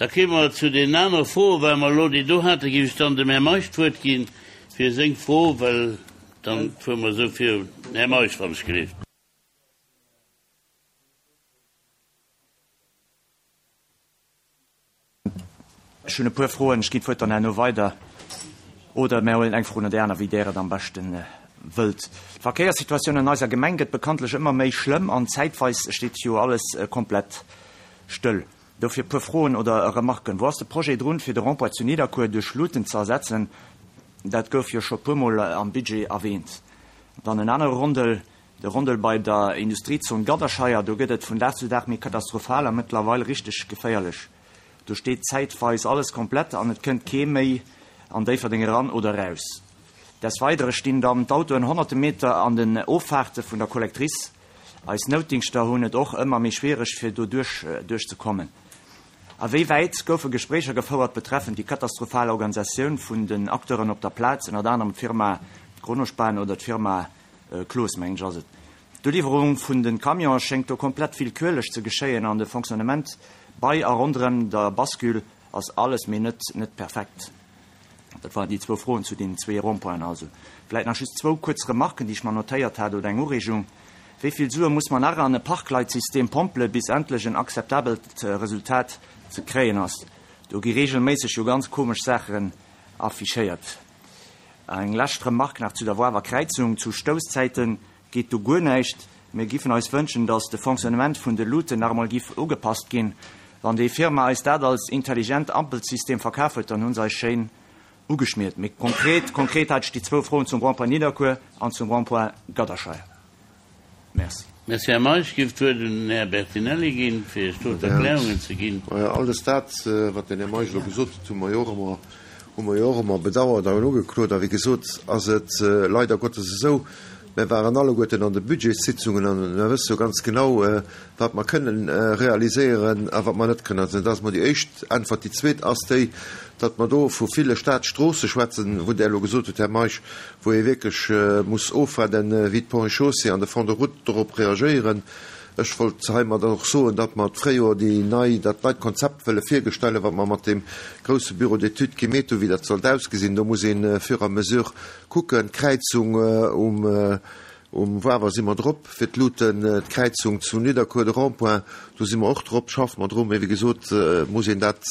Da kéime mer zu deenen anere Froen. Well mer elo déi do haten, géif ech dann dem Här Meisch d'Wuert ginn fir seng Fro, well dann fuere mer esou virun. Här Meisch, wann ech gelift. Ech hunn e puer Froen. Ech ginn d'Wuert dann herno weider oder mär huelen eng Fro no där aner, wéi Där et am beschte wëllt. D'Verkéierssituatioun an eiser Gemeng gëtt bekanntlech ëmmer méi schlëmm an zäitweis steet jo alles komplett stëll. Dofir e puer Froen oder Remarken. Wou ass de Projet drun, fir de Rond-point zu Nidderkuer duerch Luuten ze ersetzen? Dat gouf jo scho puermol am Budget erwähnt. Dann en anere Rondel, De Rondel bei der Industriezon Gadderscheier, do gëtt et vun Dag zu Dag méi katastrophal a mëttlerweil richteg geféierlech. Do steet zäitweis alles komplett an et kënnt kee méi an Déifferdeng eran oder eraus. Desweidere stinn dann d'Autoen honnerte Meter an den Offahrte vun der Collectrice. Eis Noutdingschter hunn et och ëmmer méi schwiereg fir do duerch duerch ze kommen. A wéi wäit goufe Gespréicher gefouert betreffend déi katastrophal Organisatioun vun den Acteuren op der Plaz, ënnert anerem d'Firma Kronospan oder d'Firma Cloos, mengen ech ass et. D'Uliwwerung vun den Camionen schéngt do komplett willkürlech ze geschéien an de Fonctionnement bei a ronderem der Bascule ass alles mee net net perfekt. Dat waren déi zwou Froen zu deenen zwee Rond-pointen. Also vläit nach just zwou kuerz Remarken, déi ech mer notéiert hat, oder eng Ureegung. Wéi vill Sue muss mer nach an e Parkleitsystem pompele bis endlech en akzeptabelt Resultat ze kréien ass? Do gi regelméisseg jo ganz komesch Saachen affichéiert. Eng lescht Remark nach zu der Woawer Kräizung, Zu Stousszäite geet do guer näischt. Mir giffen eis wënschen, datt de Fonctionnement vun de Luuten nach emol giff ugepasst ginn. Wann déi Firma eis dat als intelligent Ampelsystem verkaf huet, dann hu se eis schéin ugeschmiert. Méi konkret, konkret hat ech déi zwou Froen zum Rond-point Nidderkuer an zum Rond-point Gadderscheier. Merci. Merci, Här Meisch. Giff d'Wuert un den Här Bertinelli ginn, fir Iech do d'Erklärungen ze ginn. Majo, alles dat, wat den Här Meisch elo gesot huet, hu mer jo och ëmmer, hu mer jo och ëmmer bedauert an ugeklot. A wéi gesot ass et leider Gottes esou, mir waren alleguerten an de Budgetssitzungen an mir wësse jo ganz genau, wat mer kënnen realiséieren a wat mer net kënnen. Also dat ass emol déi éischt Äntwert. Déi zweet ass déi, datt mer do vu ville Staatsstroosse schwätzen, wou Der elo gesot hutt, Här Meisch, wou ee wierklech muss ofwaarden, wéi d'Ponts et Chaussées an de Fonds de route dorop reagéieren. Ech wollt heimadder och soen, datt mer d'Fréijoer déi nei, dat neit Konzept wëlle virgestellen, wat mer mat deem grousse Bureau d'études gemeet hunn, wéi dat sollt ausgesinn. Do muss ee fur et à mesure kucken. D'Kräizung um Um Wawer si mer drop fir d'Luuten, d'Kräizung zu Nidderkuer, de Rond-point, do si mer och drop, schaffe mer dru. Mee wéi gesot muss een dat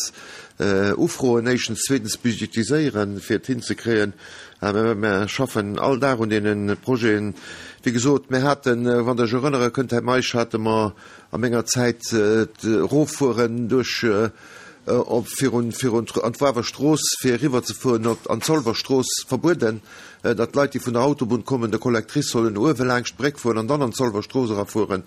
ufroen éischtens, zweetens budgetiséieren, fir et hinzekréien. Mä mer schaffen all Dag un deene Projeten. Wéi gesot, mir haten, wann Der Iech erënnere kënnt, Här Meisch, hate mer a menger Zäit d'Eroffueren duerch op virun virun an d'Wawer Strooss fir eriwwer ze fueren op an d'Zolwer Strooss verbueden, datt d'Leit déi vun der Autobunn kommen, der Collectrice sollen uewe laangscht d'Bréck fueren an dann an d'Zolwer Strooss erafueren.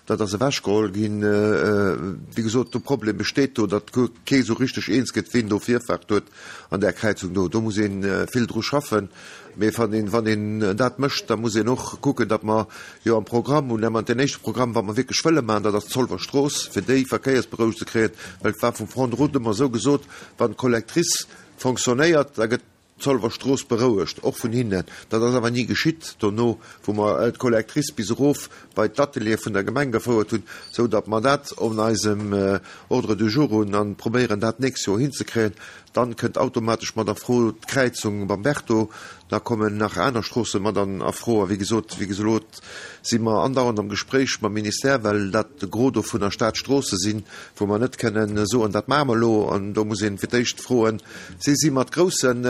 Dat ass ewechgeholl ginn. Wéi gesot, de Problem besteet do, datt kee sou richteg eens gëtt, ween do Virfaart huet an där Kräizung do. Do muss ee vill dru schaffen. Mee wann een, wann een dat mécht, da muss een och kucken, datt mer jo am Programm hunn, ëmmer deen éischte Programm, wat mer wierklech wëlle maachen, dat ass d'Zolwer Strooss, fir déi verkéiersberouegt ze kréien, well et war vum Front de route ëmmer esou gesot, wann d'Collectrice fonctionnéiert, da gëtt d'Zolwer Strooss berouegt, och vun hinnen. Dat ass awer ni geschitt dono, wou mer d'Collectrice bis erof bei d'Ateliere vun der Gemeng gefouert hunn, esou datt mer dat op eisem Ordre du jour hunn a probéieren, dat d'nächst Joer hinzekréien. Dann kënnt automatesch mat a Fro d'Kräizung beim Berto, da kommen nach aner Stroosse mat an a Fro. A wéi gesot, wéi geslot si mer andauernd am Gespréich mam Ministère, well dat de Gros dovunner Staatsstroosse sinn, wou mer net kënnen soen, dat maache mer elo. An do muss een fir d'éischt froen, si si mat groussen,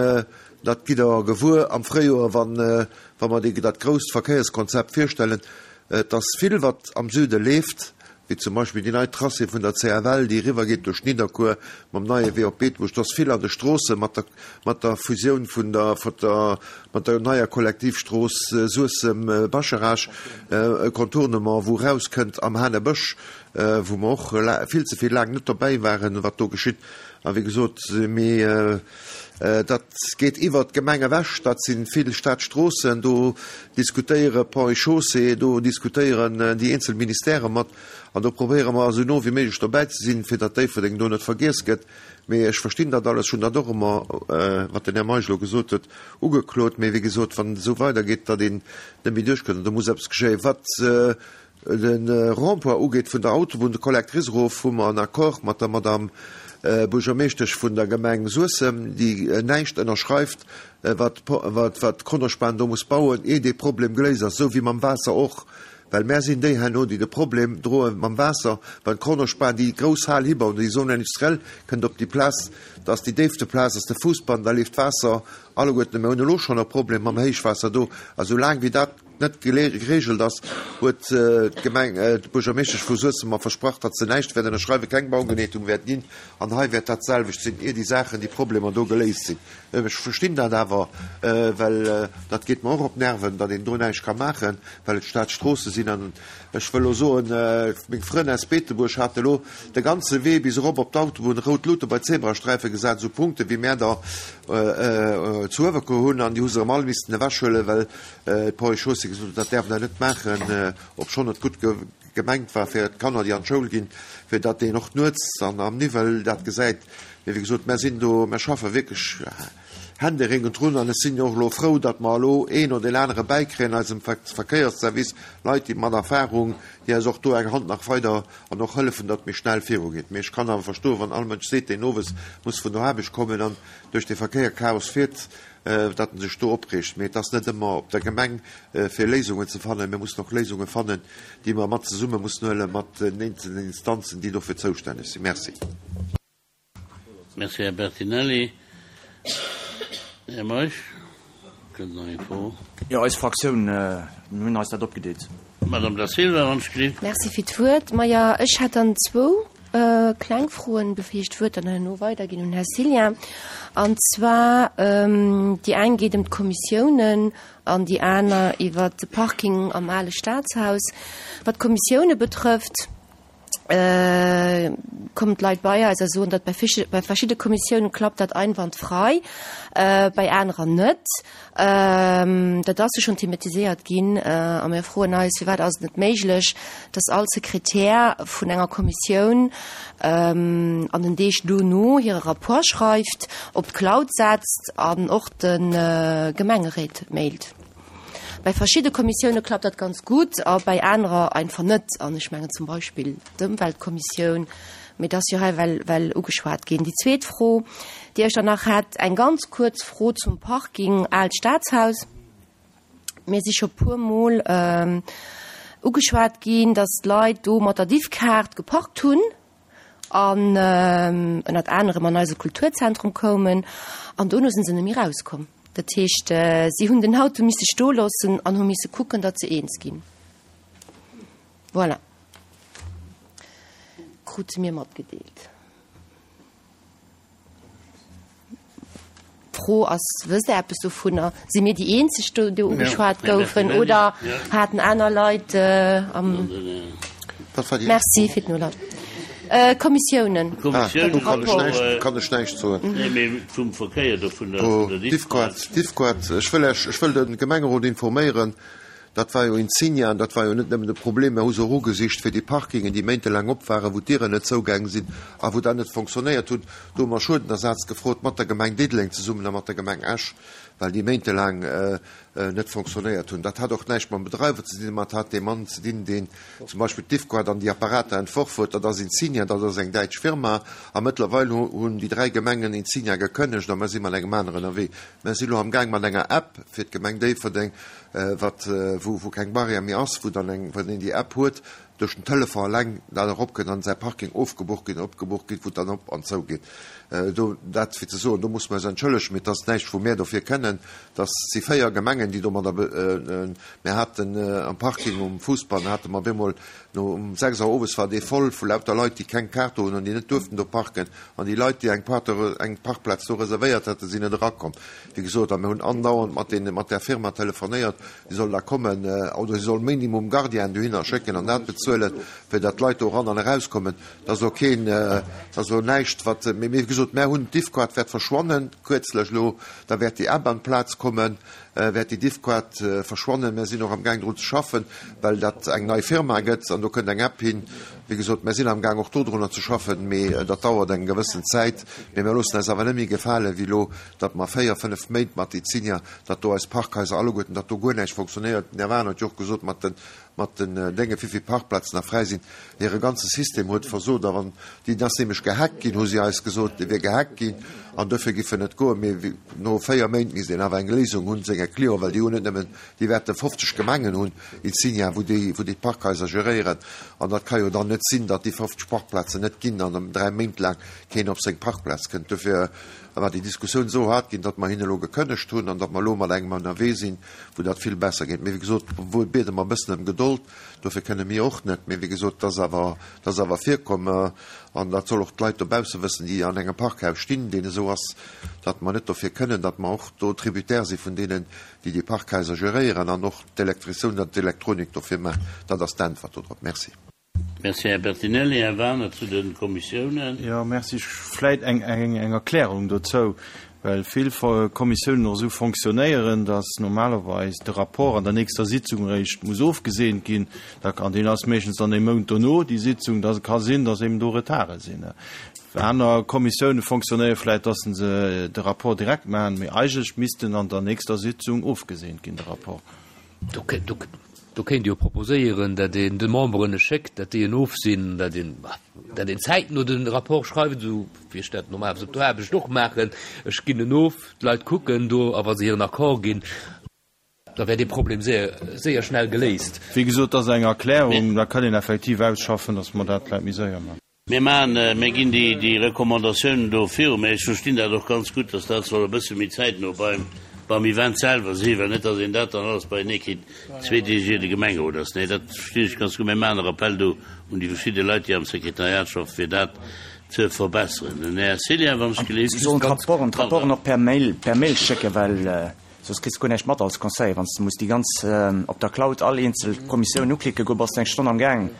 dat gitt Der gewuer am Fréijoer, wann wa mer déi dat grousst Verkéierskonzept virstellen. Et ass vill, wat am Süde leeft. wéi zum Beispill déi nei Tracé vun der CFL, déi eriwwergeet duerch Nidderkuer mam neie Wee op Beetebuerg. Et ass vill an de Stroosse mat der, mat der Fusioun vun der, vun der, mat der neier Kollektivstrooss Suessem-Bascharage, e Contournement, wou erauskënnt am Hanebësch, wou mer och vill ze vill laang net dobäi waren, wat do geschitt. A wéi gesot, mee dat geet iwwert d'Gemeng ewech, dat si vill Stadstroossen, do diskutéiere Ponts et Chaussées, do diskutéieren déi eenzel Ministèrë mat an do probéiere mer esou no wéi méiglech dobäi ze sinn, fir datt Déifferdeng do net vergiess gëtt. Mee ech verstinn dat alles, ech hunn dat och ëmmer, wat den Här Meisch elo gesot huet, ugeklot. Mee wéi gesot, wann et esou weidergeet, datt een net méi duerchkënnt, do muss eppes geschéien. Wat de Rond-point ugeet vun der Autobunn, de Collectrice erof, hu mer en Accord mat der Madame. Buergermeeschtesch vun der Gemeng Suessem, déi näischt ënnerschreift, wat wat d'Kronospan do muss bauen, ier dee Problem geléist ass, esou wéi mam Waasser och. Well mär sinn déi herno, déi de Problem droe mam Waasser, wann d'Kronospan déi grouss Hal hibauen, déi Zone industrielle kënnt op déi Plaz, dat ass déi déifste Plaz, ass de Fuussbann, da leeft d'Waasser alleguerten. Mir hunn elo schonn e Problem mam Héichwaasser do, a soulaang wéi dat net geregelt ass, huet d'Gemeng, d'Buergermeeschtesch vu Suessem mer versprach, datt se näischt wäert ënnerschreiwen, keng Baugeneetung wäert ginn. An hei wäert dat selwecht sinn, ier déi Saachen, déi Problemer do geléist sinn. Ech verstinn dat awer, well dat geet mer och op d'Nerven, datt een do näischt ka maachen, well et Staatsstroosse sinn. An ech wëll elo soen, meng Frënn aus Beetebuerg hate elo de ganze Wee bis erop op d'Autobunn rout Lute bei Zebrasträife gesat, esou Punkte wéi mär der zu Uewerkuer hunn, an déi hu se erëm all missten ewechhuelen, well D'Ponts et Chaussées gesot huet, dat däerf Der net maachen, obschonn et gutt gemengt war fir d'Kanner, déi an d'Schoul ginn, fir datt een och nuets an am Niwwel dat gesäit. Mee wéi gesot, mär sinn do, mär schaffe wierklech händeringend drun an ech sinn jo och elo frou, datt mer elo een oder deen anere bäikréien eisem Verkéiersservice, Leit, déi mat Erfahrung, déi eis och do eng Hand nach weider an och hëllefen, datt et méi schnell virugeet. Mee ech kann awer verstoen, wann all Mënsch seet, deen owes muss vun der Aarbecht kommen an duerch dee Verkéierchaos fiert, datt en sech do opreegt. Mee et ass net ëmmer op der Gemeng, fir Léisungen ze fannen. Mir mussen och Léisunge fannen, déi mer mat zesumme mussen huele mat den eenzelnen Instanzen, déi dofir zoustänneg sinn. Merci. Merci, Här Bertinelli. Här Meisch, kënnt nach eng Fro? Jo, eis Fraktioun, mir hunn eis dat opgedeelt. Madame Da Silva, wann ech gelift. Merci fir d'Wuert. Maja, ech hätt dann zwou kleng Froen, bevir ech d'Wuert dann herno weiderginn un Här Cillien. An zwar, déi eng geet ëm d'Kommissiounen an déi aner iwwert de Parking am ale Staatshaus. Wat d'Kommissioune betrëfft, kommen d'Leit bei eis a soen, datt bei bei verschidde Kommissiounen klappt dat einwandfrei, bei anerer net. Dat ass jo schonn thematiséiert ginn a mir froen eis, firwat ass et net méiglech, datt all Sekretär vun enger Kommissioun an den Deeg dono hire Rapport schreift, op d'Cloud setzt an och de Gemengeréit mailt. Bei verschidde Kommissioune klappt dat ganz gutt a bei anerer einfach net. An ech mengen zum Beispill d'Ëmweltkommissioun, mee dat ass jo hei well, well ugeschwat ginn. Déi zweet Fro, déi ech dann nach hätt, eng ganz kuerz Fro zum Parking Aalt Staatshaus. Mir si scho puermol ugeschwat ginn, datt d'Leit do mat der Diffkaart geparkt hunn an ënnert anerem an eise Kulturzentrum koumen an dono sinn se net méi erauskomm. Dat heescht, si hunn den Auto misse stoe loossen an hu misse kucken, datt se eens ginn. Voilà. Krute mir matgedeelt. D'Fro ass, Wësst Der eppes dovunner? Si mir déi eenzeg do, déi ugeschwat goufen oder haten aner Leit am. Merci fir d'Nolauschteren. Kommissiounen. Do kann ech näischt, kann ech näischt soen. Nee, mee vum Verkéier do, vun der Diffquart. Diffquart, ech wëll Iech, ech wëll de Gemengerot informéieren, Dat war jo Insignia an dat war jo net nëmmen de Problem. Mer hu se och ugesicht fir déi Parkingen, déi méintelaang op waren, wou d'Dieren net zougaang sinn a wou dat net fonctionnéiert hunn. Do hu mer Schuedenersaz gefrot mat der Gemeng Diddeleng zesummen a mat der Gemeng Esch, well déi méintelaang net fonctionnéiert hunn. Dat hat och näischt mam Bedreiwer ze dinn, ma et hat dee Mann ze dinn, deen zum Beispill d'Difco hat an déi Apparater entworf huet. Dat ass Insignia, dat ass eng däitsch Firma. A mëttlerweil hunn déi 3 Gemengen Insignia gekënnegt a mer si mat engem aneren ënnerwee. Mer si lo amgaang mat enger App fir d'Gemeng Déifferdeng, wat, wou, wou keng Barrière méi ass, wou dann eng, wann een déi App huet, duerch den Telefon eleng dat eropkënnt an säi Parking ofgebucht ginn, opgebucht ginn, wou et dann op an zou geet. Do, dat fir ze soen, do musse mer eis entschëllegen, mee et ass näischt, wou mär dofir kënnen. Dass si 4 Gemengen, déi domadder, mär haten am Parking um Fuussbann hate mer op eemol no um 6 Auer owes war dee voll vu lauter Leit, déi keng Kaart do hunn an déi net duerften do parken. An déi Leit, déi eng Parte, eng Parkplaz do reservéiert haten, sinn net erakomm. Wéi gesot, a mir hunn andauernd mat deene, mat där Firma telefonéiert, si sollen da kommen oder si sollen minimum Gardienen dohinner schécken an dat bezuelen, fir datt d'Leit do eran an erauskommen. Dat ass elo keen, dat ass elo näischt, wat, mee wéi gesot, mär hunn, d'Diffquart wäert verschwannen, kuerzlech elo, da wäert déi App an d'Plaz kommen, wäert déi Diffquart verschwannen. Mär sinn och amgaang drun ze schaffen, well dat eng nei Firma gëtt an do kënnt eng App hin. Wéi gesot, mär sinn amgaang och dodrunner ze schaffen, mee dat dauert eng gewëssen Zäit. Mee mär loossen eis awer net méi gefalen, wéi elo, datt mer 4, 5 Méint mat Izinia, datt do eis Parkhaiser alleguerten, datt do guer näischt fonctionnéiert. Den Här Wagener huet jo och gesot, mat den. Mat den Dénge wéivill Parkplazen nach fräi sinn. Hire ganze System huet versot. A wann deen ass nämlech gehackt ginn, hu si eis gesot, dee wier gehackt ginn an dofir giff en net goen. Mee no 4 Méint misst een awer eng Léisung hunn, senge Clienten, well déi hunn net nëmmen, déi wäerte 50 Gemengen hunn, Insignia, wou déi, wou déi d'Parkhaiser geréieren. An dat ka jo dann net sinn, datt déi 50 Parkplazen net ginn an 3 Méint laang keen op seng Parkplaz kënnt. Dofir war déi Diskussioun esou haart ginn, datt mer hinne elo gekënnegt hunn an datt mer elo mat engem ënnerwee sinn, wou dat vill besser geet. Mee wéi gesot, wou biede mer e bëssen ëm Gedold, dofir kënne mir och net. Mee wéi gesot, dat ass awer, dat ass awer virkomm an dat soll och d'Leit dobausse wëssen, déi an engem Parkhaus stinn, deen esou ass, datt mer net dofir kënnen, datt mer och do Tributaire si vun deenen, déi déi Parkhaiser geréieren an och d'Elektrizioun an d'Elektronik dofir maachen. Dat ass d'Äntwert dodrop. Merci. Merci, Här Bertinelli. Här Wagener zu de Kommissiounen. Jo, merci. Vläit eng Erklärung dozou, well vill Kommissiounen och esou fonctionnéieren, dass normalerweis de Rapport an der nächster Sitzung eréischt muss ofgeseent ginn. An deen ass meeschtens dann ee Mount dono, déi Sitzung. Da ka sinn, dass eben do Retarde sinn. Aner Kommissioune fonctionnéiere vläit, dass se de Rapport direkt maachen, mee eigentlech misst en an der nächster Sitzung ofgeseent ginn, de Rapport. Do kéint ee jo proposéieren, datt een de Memberen e schéckt, datt déi en ofsinn, datt een, datt een zäitno de Rapport schreift, esou wéi ech dat normalerweis op der Aarbecht och maachen. Ech ginn en of, d'Leit kucken do, a wa se hiren Accord ginn, da wär dee Problem séier, séier schnell geléist. Wéi gesot, dat ass eng Erklärung, da kann een effektiv ausschaffen, datt mer dat vläicht méi séier maachen. Mir maachen, mir ginn déi, déi Recommandatiounen do viru, mä ech verstinn dat och ganz gutt, dass dat soll e bësse méi zäitno beim, beim Event selwer sinn, well net, dass een dat dann alles beienee kritt, zwee Deeg ier de Gemengerot ass. Nee, dat verstinn ech ganz gutt. Mir maachen e Rappel do un déi verschidde Leit, déi am Sekretariat schaffen, fir dat ze verbesseren. Den Här Cillien, wann ech gelift. Si sollen d'Rapporten, d'Rapporten och per Mail, per Mail schécken, well soss kriss de guer näischt mat als Conseiller, wann s de muss déi ganz op der Cloud all eenzel Kommissioun uklicken goen, bass de eng Stonn am Gaang.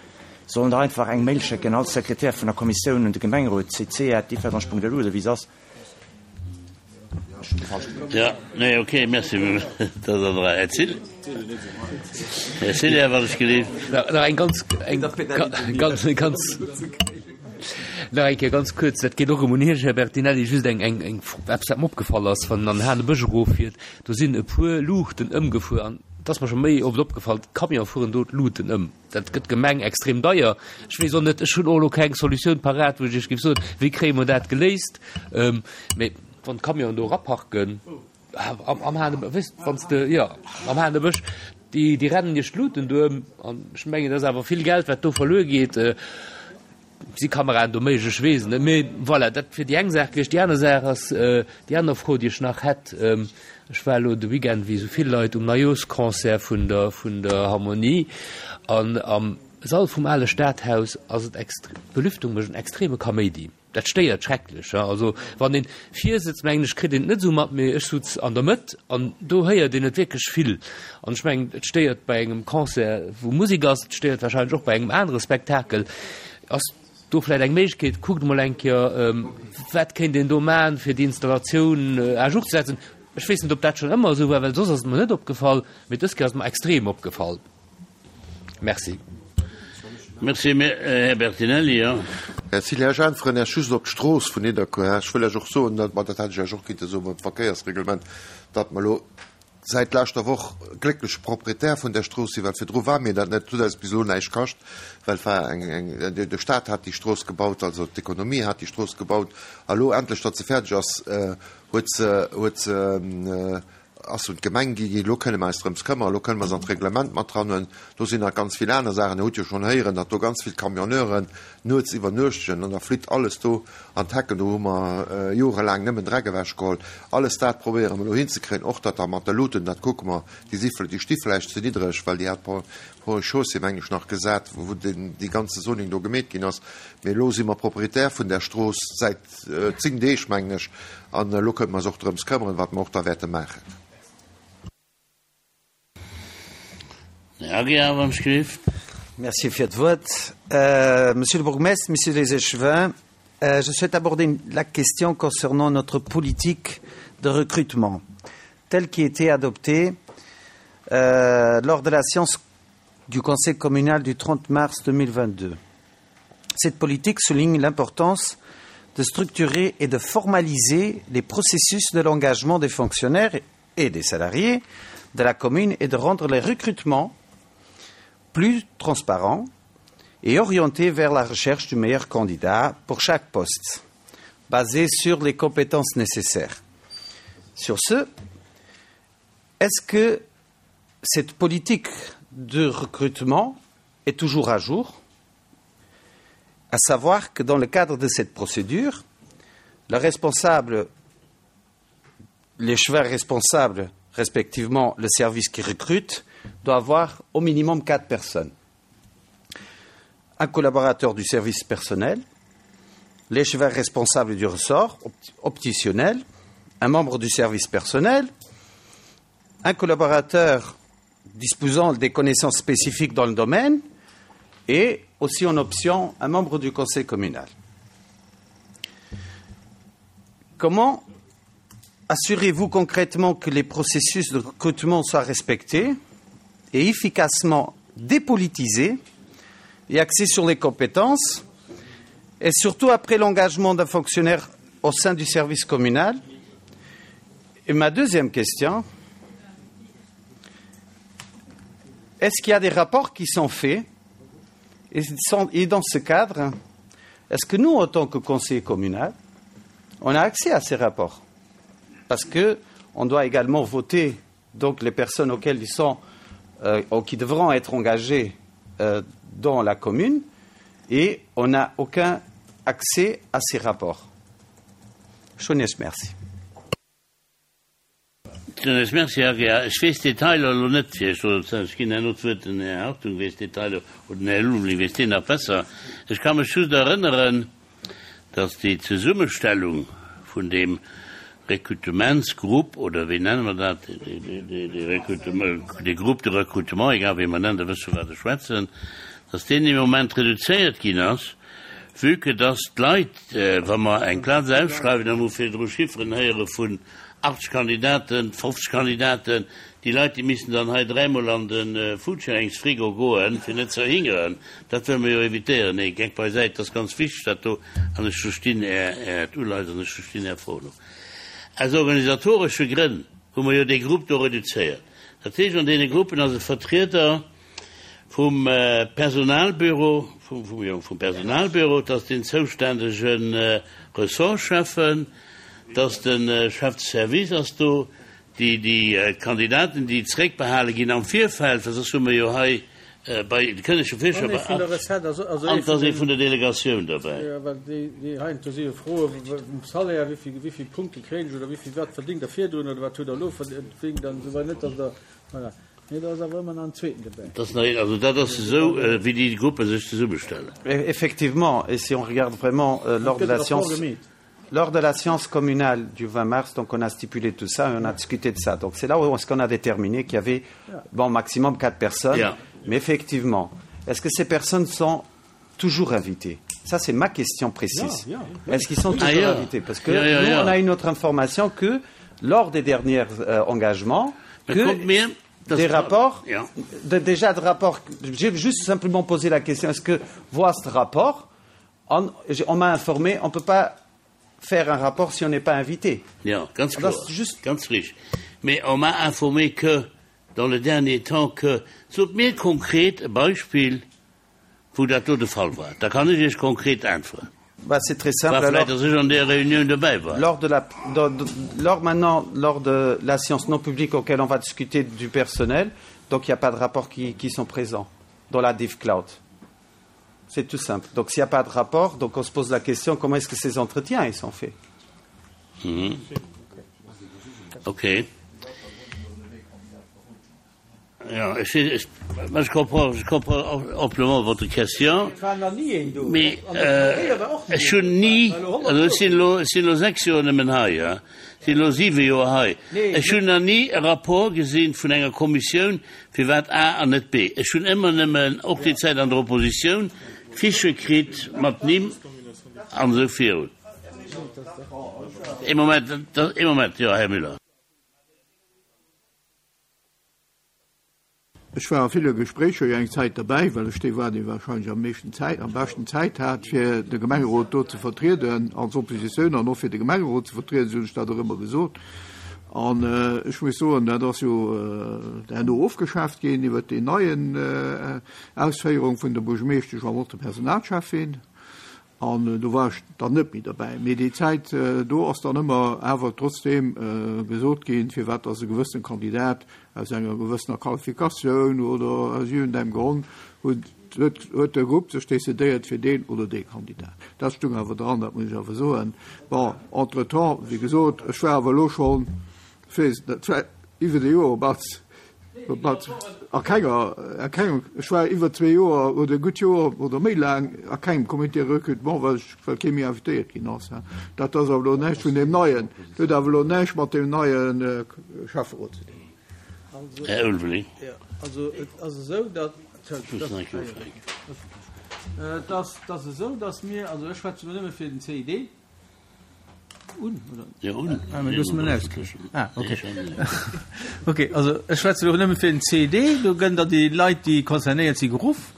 Sollen der einfach eng Mail schécken, all Sekretär vun der Kommissioun un de Gemengerot, cc@differdange.lu oder wéi se ass. Jo, nee, ok, merci. Dat ass an der Rei. Här Thill? Här Cillien, wann ech gelift. Nach eng ganz, eng ganz, ganz, nach eng Kéier ganz kuerz, dat geet och ëm un Iech, Här Bertinelli, just eng, eng, eng, eppes, wat mer opgefall ass, wann een an den Hanebësch eroffiert, do sinn e puer Luuchten ëmgefuer an et ass mer scho méi oft opgefall, d'Camionë fueren do d'Luuten ëm. Dat gëtt d'Gemeng extrem deier. Ech weess och net, ech hunn och elo keng Solutioun parat, wou ech Iech géif soen, wéi kréie mer dat geléist. Mee wann d'Camionen do eraparken, am Hanebësch, wéisst, wann s de, jo, am Hanebësch, déi, déi rennen Iech d'Luten do ëm. An ech mengen, dat ass awer vill Geld, wat do verluer geet. Si Kameraen do méiglech? Ech weess et net. Mee voilà, dat wier déi eng Saach gewiescht. Déi aner Saach ass, déi aner Fro, déi ech nach hätt, Ech war elo de Weekend, wéi esou vill Leit, um Neijooschconcert vun der, vun der Harmonie. An am Sall vum ale Stadhaus ass et extre, d'Belüftung mécht en extreme Kaméidi. Dat stéiert schrecklech. Also wann een vir sëtzt, mengen ech, kritt een et net esou mat, mee ech sutz an der Mëtt an do héiert een et wierklech vill. An ech mengen, et stéiert bei engem Concert, wou Musek ass, et stéiert wahrscheinlech och bei engem anere Spektakel. Ass do vläicht eng Méiglechkeet, kuckt emol eng Kéier, wat kéint een do maachen, fir déi Installatioun à jour ze setzen. Ech weess net, ob dat schonn ëmmer esou war, well soss ass et mer net opgefall, mee dës Kéier ass et mer extrem opgefall. Merci. Merci, Här Bertinelli. Jo. Här Cillien, ech äntweren Iech just op d'Strooss vun Nidderkuer. Ech wëll Iech och soen, dat, ma dat hätt ech Iech och kinnte soen beim Verkéiersreglement, datt mer elo säit leschter Woch gléckleche Proprietär vun där Strooss sinn, well virdru war mir dat net, et huet eis bis elo näischt kascht, well et war eng, eng, de Stat hat déi Strooss gebaut, also d'Ekonomie hat déi Strooss gebaut, a elo endlech, datt se fäerdeg ass, huet se, huet se, ass se un d'Gemeng gi ginn. Elo kënne mer eis drëms këmmern, elo kënne mer se an d'Reglement mat dranhuelen. Do sinn nach ganz vill aner Saachen. Dir hutt jo schonn héieren, datt do ganz vill Camionneuren nuets iwwernuechtegen an da flitt alles do an d'Hecken. Do hu mer jorelaang nëmmen Dreck ewechgeholl. Alles dat probéiere mer elo hinzekréien. Och dat da mat de Luuten, dat kucke mer. Déi si, déi sti vläicht ze niddreg, well déi hat d'Ponts et Chaussées, meng ech, nach gesat, wou deen, dee ganze Zoning do gemeet ginn ass. Mee elo si mer Proprietär vun där Strooss säit 10 Deeg, mengen ech, an elo kënne mer eis och drëms këmmeren, wat mer och da wäerte maachen. Här Aguiar, wann ech gelift. Merci fir d'Wuert. Monsieur le bourgmestre, Messieurs les échevins, je souhaite aborder la question concernant notre politique de recrutement telle qui a été adoptée euh, lors de la séance du Conseil communal du 30 mars 2022. Cette politique souligne l'importance de structurer et de formaliser les processus de l'engagement des fonctionnaires et des salariés de la commune et de rendre les recrutements. plus transparent et orienté vers la recherche du meilleur candidat pour chaque poste, basé sur les compétences nécessaires. Sur ce, est-ce que cette politique de recrutement est toujours à jour À savoir que dans le cadre de cette procédure, le responsable, les chevaux responsables, respectivement le service qui recrute, doit avoir au minimum quatre personnes. Un collaborateur du service personnel, l'échevin responsable du ressort optitionnel, un membre du service personnel, un collaborateur disposant des connaissances spécifiques dans le domaine et aussi en option un membre du conseil communal. Comment assurez-vous concrètement que les processus de recrutement soient respectés et efficacement dépolitisés et axés sur les compétences et surtout après l'engagement d'un fonctionnaire au sein du service communal Et ma deuxième question, est-ce qu'il y a des rapports qui sont faits et, sont, et dans ce cadre, est-ce que nous, en tant que conseiller communal, on a accès à ces rapports Parce qu'on doit également voter donc les personnes auxquelles ils sont euh, ou qui devront être engagées euh, dans la commune et on n'a aucun accès à ces rapports. Schönes merci. Schönes merci, Herr Gehr. Ech weess d'Detailer elo net, fir Iech do ze, ech ginn herno d'Wuert den Här Hartung weess d'Detailer oder den Här Lumley weess deen nach besser. Ech ka mech just erënneren, dass déi Zesummestellung vun deem Rekrutementsgrupp, oder wéi nenne mer dat, dee Rekrutement, dee Groupe de recrutement, egal wéi mer en nennen, Der wësst vu wat ech schwätzen, dass deen im Moment reduzéiert ginn ass, vue que dass d'Leit, wa mer eng Plaz ausschreiwen, da hu mer virdru Chifferen héiere vun 80 Kandidaten, 50 Kandidaten, déi Leit, déi missten dann hei dräimol an de Foodsharing-Frigo goen, fir net ze erhingeren. Dat wëlle mer jo évitéieren. Nee, Geck beisäit, dat ass ganz wichteg, dat do. An ech verstinn Äert Uleies an ech verstinn Är Fro elo. Aus organisatoresche Grënn hu mer jo dee Grupp do reduzéiert. Dat heescht, an deene Gruppen ass e Vertrieder vum Personalbüro, vum, jo, vum Personalbüro, et ass den zoustännege Ressortschäffen, et ass de Chef de service ass do, déi, déi Kandidaten, déi zréckbehale ginn am Virfeld, well soss hu mer jo hei bei, de kënne scho virstellen, bei 8, an et ass ee vun der Delegatioun derbäi. Jo, well déi, déi heiansdo si jo Froe vum Salaire, wéi vill, wéi vill Punkte kréien ech oder wéi vill, wat verdéngt Der virdrun oder wat hutt Der elo verdéngt an esou weider, net datt Der, voilà. Mee do ass awer ëmmer nach en zweeten dobäi. Et ass nach een, also dat ass esou, wéi déi Gruppe sech zesummestellen. Effectivement, et si on regarde vraiment lors de la séance, lors de la séance communale du 20 mars, donc on a stipulé tout ça et on a discuté de ça. Donc c'est là où est-ce qu'on a déterminé qu'il y avait bon maximum quatre personnes. Yeah. Mais effectivement, est-ce que ces personnes sont toujours invitées Ça, c'est ma question précise. Yeah, yeah. Est-ce qu'ils sont toujours ah, yeah. invités Parce que yeah, yeah, nous, on a une autre information que lors des derniers euh, engagements, que des rapports, yeah. de, déjà de rapports, j'ai juste simplement posé la question, est-ce que voir ce rapport, on, on m'a informé, on ne peut pas faire un rapport si on n'est pas invité. Ja, ganz klar. Just... Ganz richtig. Mais on m'a informé que dans le dernier temps que, sot mir konkret e Beispill, wou dat do de Fall war, da kann ech Iech konkret äntweren. Bah, c'est très simple. War vläicht, dass ech an där Reunioun dobäi war. Lors de la, de, de, lors maintenant, lors de la séance non publique auquel on va discuter du personnel, donc il n'y a pas de rapport qui, qui sont présents dans la DIV Cloud. C'est tout simple. Donc s'il n'y a pas de rapport, donc on se pose la question comment est-ce que ces entretiens ils sont faits mmh. Ok. Ja, ech, ech, je comprends, je comprends amplement votre question. Mee ech hunn ni, also ech sinn elo, ech sinn elo 6 Joer nëmmen hei, ja, sinn elo 7 Joer hei, ech hunn nach ni e Rapport gesinn vun enger Kommissioun, firwat A an net B. Ech hunn ëmmer nëmmen, och déi Zäit an der Oppositioun, Fichë kritt mat Nimm an esou virun. Ee Moment, ee Moment, jo, Här Müller. Ech war a ville Gespréicher jo eng Zäit derbäi, well ech dee war, dee wahrscheinlech am meeschten Zäit, am beschten Zäit hat, fir de Gemengerot do ze vertrieden als Oppositioun an och fir de Gemengerot ze vertrieden, esou hunn ech dat och ëmmer gesot. An ech muss soen, dat ass jo herno ofgeschaaft ginn iwwert déi neien Ausféierung vun der Buergermeeschtesch an och der Personalcheffin. An do war ech dann net méi derbäi. Mee déi Zäit do ass dann ëmmer awer trotzdeem gesot ginn, firwat dass e gewëssene Kandidat aus enger gewëssener Qualifikatioun oder aus iergendengem Grond huet, huet de Grupp sech decidéiert fir deen oder dee Kandidat. Dat stung awer dran, dat muss ech awer soen. Bon, entretemps, wéi gesot, ech war awer elo schonn, ech weess net, dat war iwwer e Joer op als, op als, a kenger, a kengem, ech war iwwer zwee Joer oder e gutt Joer oder méi laang a kengem Comité recrutement, well ech, well kee méi invitéiert ginn ass. Dat ass awer elo näischt vun deem neien, huet awer elo näischt mat deem neie Schäfferot ze dinn. Här Ulveling. Also et ass esou, datt, et ass esou, datt mir, also ech schwätze elo nëmme fir den CID, un, oder? Jo, un. Ah, mä du hues mech ausgeschloss. Ah, okay. Okay, also ech schwätze elo nëmme fir den CID, do gënn da déi Leit, déi concernéiert si geruff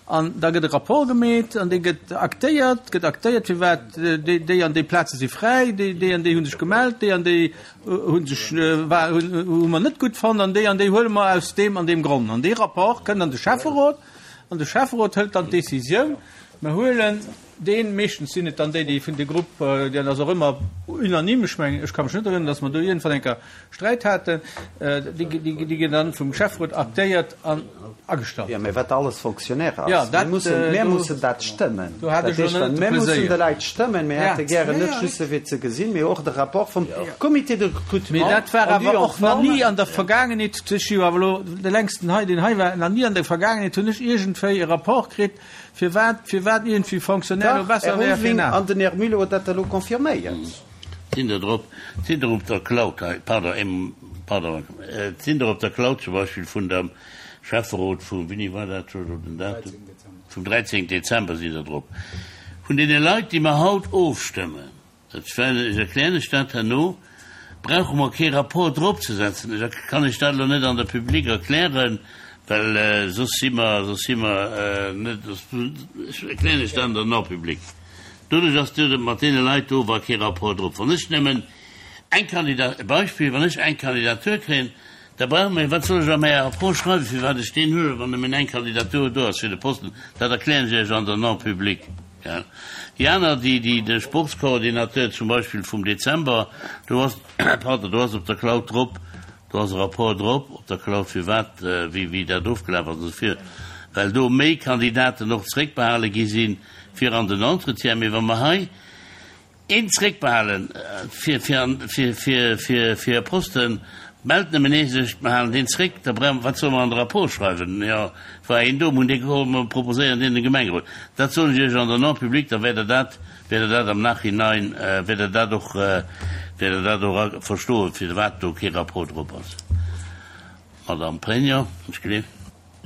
an da gëtt e Rapport gemeet an dee gëtt aktéiert, gëtt aktéiert, firwat déi, déi an déi Plaze si fräi, déi, déi an déi hu sech gemellt, déi an déi hu sech, war, hunn, hu mer net gutt fonnt an déi an déi huele mer aus deem an deem Grond. An dee Rapport kënnt an de Schäfferot an de Schäfferot hëlt dann d'Décisioun, mer huelen deen, meeschtens sinn et dann déi, déi vun de Grupp, dat ass och ëmmer unanime, ech mengen, ech ka mech net erënneren, datt mer do iergendwann eng Kéier Sträit haten, déi, déi ginn dann vum Schäfferot aktéiert an agestallt. Jo, mä wat alles Fonctionnaire ass. Jo, Mir dat, mussen, mir do, mussen dat stëmmen. do hat Dat ech elo heescht, net de mir mussen Pleséier. de Leit stëmmen. Mir Ja. hätte gären Ja, net ja. just se fir ze gesinn, mee och de Rapport vum Comité de Mee recrutement dat war en due awer en och nach forme. ni an der Vergaangenheet, ech si jo awer elo de längsten hei, deen hei war, nach ni an der Vergaangenheet hunn ech iergendwéi e Rapport kritt, Firwat, firwat iergendwéi Fonctionnaire elo Dach, besser Här wär fir Ulveling en an den Här Muller huet dat elo confirméiert. Sinn der drop, sinn der op der Cloud hei, pardon, ee, pardon, et sinn der op der Cloud zum Beispill vun dem Schäfferot vu, wéini war dat elo den Datum? Vum 13. Dezember sinn der drop. Vun deene Leit, déi mer haut ofstëmmen. Dat well, ech erklären lech dat herno, brauche mer kee Rapport dropzesetzen. Ech kann lech dat elo net an der Public erklären, well soss si mer, soss si mer net, ech erklären lech dat an der Non-publique. Doduerch ass do mat deene Leit do war kee Rapport drop. Wann ech nëmmen eng Kandidat, e Beispill, wann ech eng Kandidatur kréien, da brauche mer, wat soll ech a mäi Rapport schreiwen, firwat ech deen huelen, wann nëmmen eng Kandidatur do ass fir de Posten? Dat erklären ech Iech an der Non-publique. Déi aner, déi, déi, de Sportscoordinateur zum Beispill vum Dezember, do ass, pardon, do ass op der Cloud drop, do ass e Rapport drop op der Cloud, firwat, wéi, wéi dat ofgelaf ass, also fir, well do méi Kandidaten och zréckbehale gi sinn fir an den Entretien. Mee wa mer hei Een zréckbehalen fir fir e Posten, mellt nëmmen ee sech, mer halen deen zréck, da brauche mer, wat solle mer an de Rapport schreiwen? Jo, et war een do, mer hunn dee geholl, mer proposéieren deen dem Gemengerot. Dat soen ech Iech an der Non-publique, da wäert Der dat, wäert Der dat am Nachhinein, wäert Der dat och, wäert Der dat och verstoen, firwat do kee Rapport drop ass. Madame Pregno, ech gleef.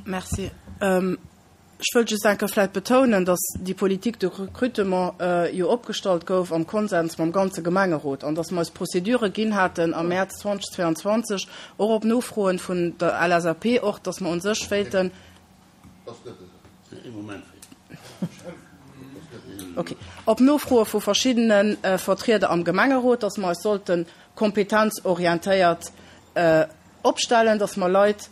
Merci. Ech wëllt just eng Kéier vläicht betounen, dass déi Politique de recrutement jo opgestallt gouf am Konsens mam ganze Gemengerot an dass mer eis Procédure ginn haten am Mäerz 2022, och op Nofroen vun der LSAP och, dass mer u sech wéilten, okay, op Nofroe vu verschiddene Vertrieder am Gemengerot, dass mer eis sollte kompetenzorientéiert opstellen, dass mer Leit,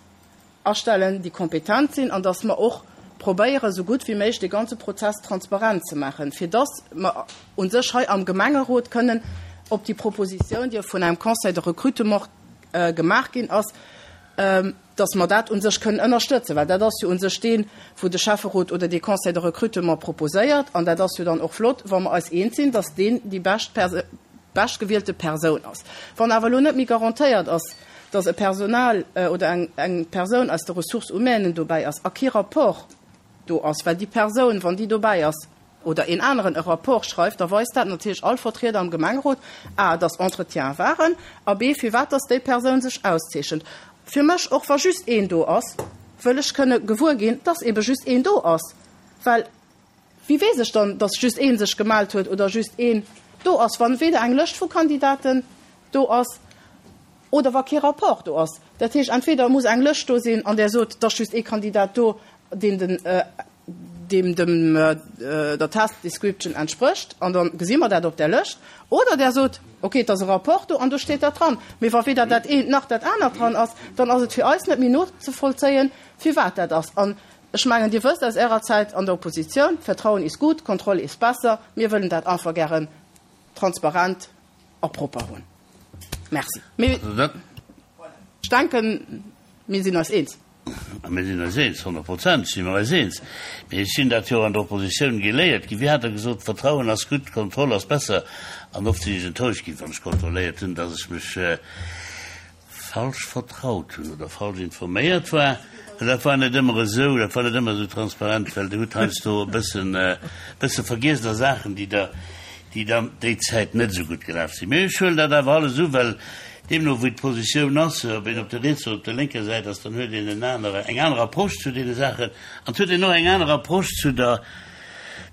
astellen, déi kompetent sinn, an dass mer och probéieren, esou gutt wéi méiglech dee ganze Prozess transparent ze maachen, fir dass mer u sech hei am Gemengerot kënnen op déi Proposition, déi vun engem Conseil de recrutement gemaach ginn ass, dass mer dat u sech kënnen ënnerstëtzen. Well dat ass jo u sech deen, wou de Schäfferot oder dee Conseil de recrutement proposéiert, an dat ass jo dann och flott, wa mer eis eens sinn, dass deen déi bescht beschtgewielte Persoun ass. Wann awer elo net méi garantéiert ass, dass e Personal oder eng Persoun aus der Ressources humaines dobäi ass a kee Rapport do ass, well déi Persoun, wann déi dobäi ass, oder een aneren e Rapport schreift, da weist dat natierlech all Vertrieder am Gemengerot, a, dass Entretiene waren, a b, firwat dass déi Persoun sech auszeechent. Fir mech, och wa just een do ass, wëll ech kënne gewuer ginn, dass ebe just een do ass, well Wéi weess ech dann, dass just ee sech gemellt huet oder just een do ass, wann weder eng Lëscht vu Kandidaten do ass oder wa kee Rapport do ass? Dat heescht, entweder muss eng Lëscht do sinn, an där sot, et ass just ee Kandidat do, deen den. deem dem der Task Description entsprécht, an da gesi mer dat op där Lëscht, oder Der sot, okay, et ass e Rapport do an do steet dat dran. Mee wa weder dat eent nach dat anert dran ass, dann ass et fir eis net méi nozevollzéien, firwat dat ass. An ech mengen, Dir wësst aus Ärer Zäit an der Oppositioun, Vertrauen ist gut, Kontrolle ist besser. Mir wëllen dat einfach gären transparent a propper hunn. Merci. Mee ech denken, mir sinn eis eens. A mir sinn eis eens, 100% si mer eis eens. Mee ech sinn dat jo an der Oppositioun geléiert ginn. Wéi hat Der gesot, Vertrauen ass gutt, Kontroll ass besser. An oft sinn ech enttäuscht ginn, wann ech kontrolléiert hunn, dass ech mech falsch vertraut hunn oder falsch informéiert war. Well dat war net ëmmer esou, dat war net ëmmer esou transparent, well Der hutt heiansdo e bëssen, e bësse vergiess a Saachen, déi Der, déi dann déi Zäit net esou gutt gelaf sinn. Mee ech huelen dat awer alles u, well deemno wéi d'Positioun ass, ob een op der rietser oder op der lénker Säit ass, dann huet een en anere, eng aner Approche zu deene Saachen an et huet een och eng aner Approche zu der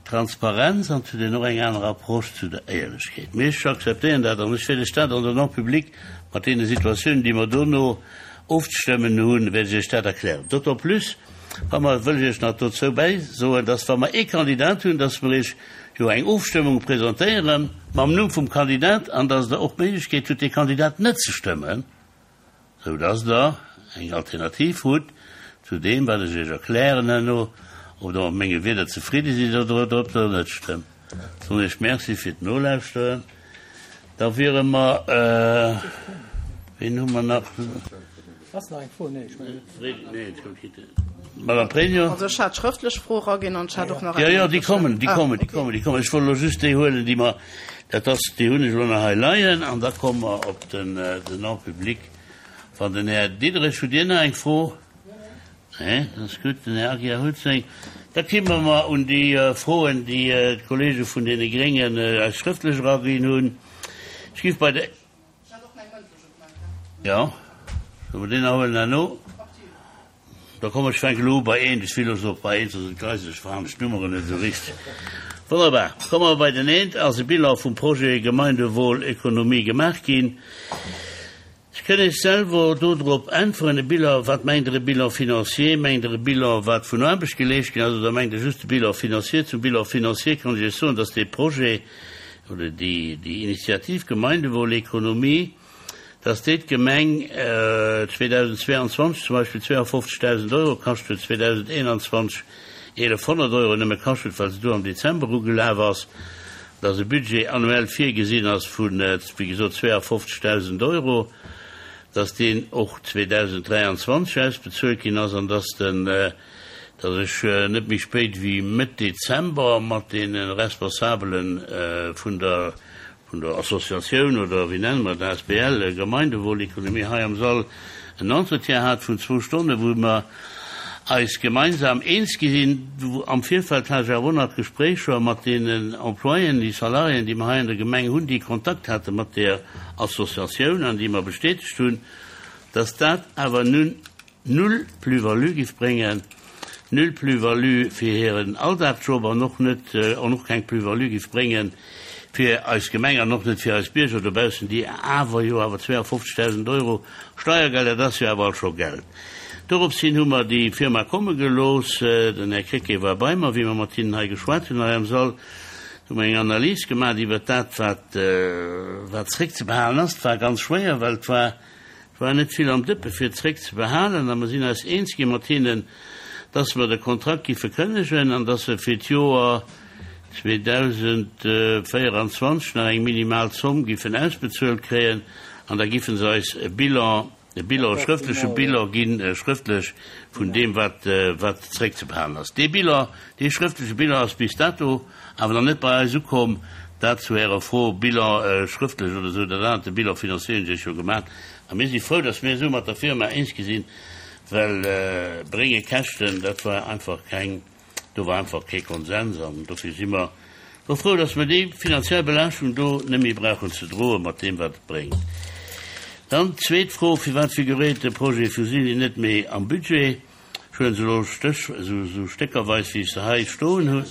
Transparenz an et huet een och eng aner Approche zu der Éierlechkeet. Mee ech akzeptéieren dat an ech wäert Iech dat an der Non-publique mat deene Situatiounen, déi mer dono ofzestëmmen hunn, wäert ech Iech dat erklären. D'autant plus, wa mer, wëll ech Iech nach dozou bäisoen, dass wa mer ee Kandidat hunn, dass mer Iech jo eng Ofstëmmung presentéiere mam Numm vum Kandidat an dass Der och d'Méiglechkeet hutt, dee Kandidat net ze stëmmen, sou dass Der eng Alternativ hutt zu deem, wat ech Iech erklären herno, ob Der mat menge Wierder zefridde sidd oder ob Der net stëmmt. Soen Iech Merci fir d'Nolauschteren. Da wiere mer, ween hu mer nach? Ass nach eng Fro? Nee, ech mengen net. Madame Pregno. Also ech hat schrëftlech Fro eraginn an ech hat och nach eng. Jo, jo, déi mëndlech. kommen, déi kommen, déi kommen, déi kommen. Ech wollt elo just déi huelen, déi mer, dat ass, déi hunn ech elo nach hei leien an da komme mer op den, den En public. Wann den Här Diderich, hutt Dir nach eng Fro? Nee, dat ass gutt. Den Här Aguiar huet seng. Da kimme mer un déi Froen, déi d'Kollege vun deene Gréngen eis schrëftlech eraginn hunn. Ech géif bei der. Jo, solle mer deen nach huelen herno? Da komm, ech fänke elo u bei eent. Ech will elo och bei eent, soss entgleisen ech, verhaen ech d'Nummeren net esou richteg. Wonnerbar. Komme mer bei den eent. Ass e Bilan vum Projet Gemeindewohl-Ökonomie gemaach ginn? Ech kënn Iech selwer do drop äntweren. E Bilan, wat mengt Der e Bilan financier? Mengt Der e Bilan, wat vun Aarbecht geleescht ginn ass, oder mengt Der just de Bilan financier? Zum Bilan financier kann ech Iech soen, dass dee Projet oder déi, déi Initiativ Gemeindewohlekonomie, dass déi d'Gemeng 2022 zum Beispill 52.000 Euro kascht huet, 2021 1.100 Euro nëmme kascht huet, well se do am Dezember ugelaf ass. Dass e Budget annuel virgesinn ass vu, wéi gesot, 52.000 Euro, dass deen och 2023 ausbezuelt ginn ass an dass den, dass ech net méi spéit wéi Mëtt Dezember mat deene Responsabele vun der, vun der Associatioun oder wéi nenne mer dat, asbl Gemeindewohlekonomie hei am Sall en Entretien hat vun zwou Stonnen, wou mer eis gemeinsam eens gi sinn. Am Virfeld hat ech awer och nach Gespréicher mat deenen Employéen, déi Salariéen, déi mer hei an der Gemeng hunn, déi Kontakt hate mat där Associatioun an déi mer bestätegt hunn, dass dat awer nun null Plus-value giff bréngen, null Plus-value fir hiren Alldagsjob an och net, an och keng Plus-value giff bréngen fir eis Gemeng an och net fir eis Bierger dobaussen, déi awer jo awer 52.000 Euro Steiergeld, dat ass jo awer alt scho Geld. Dorops hin hu mer déi Firma komme gelooss. Den Här Krecké war bei mer, wéi mer mat hinnen hei geschwat hunn, hei am Sall. Do hu mer eng Analys gemaach iwwert dat, wat, wat zréckzebehalen ass. Et war ganz schwéier, well et war, et war net vill am Dëppe fir zréckzebehalen. A mer sinn eis eens gi mat hinnen, dass mer de Kontrakt giffe kënnegen an dass se fir d'Joer 2024 nach eng minimal Zomm giffen ausbezuelt kréien an da giffen se eis e Bilan, e Bilan, e schrëftleche Bilan ginn, schrëftlech vun deem, wat, wat zréckzebehalen ass. Dee Bilan, dee schrëftleche Bilan ass bis dato awer nach net bei eis ukomm. Dat zu Ärer Fro, Bilan schrëftlech oder esou, dat anert, de Bilan financier hunn ech Iech jo gemaach. A mir si frou, dass mir esou mat der Firma eens gi sinn, well brénge Käschten, dat war einfach keng, Do war einfach kee Konsens an dofir si mer elo frou, dass mer déi finanziell Belaaschtung do net méi brauchen ze droen, mat deem wat et bréngt. Dann d'zweet Fro, Firwat figuréiert de Projet Fusilli net méi am Budget? Ech huelen se elo Stéch, esou stéckerweis, wéi ech se hei stoen hunn.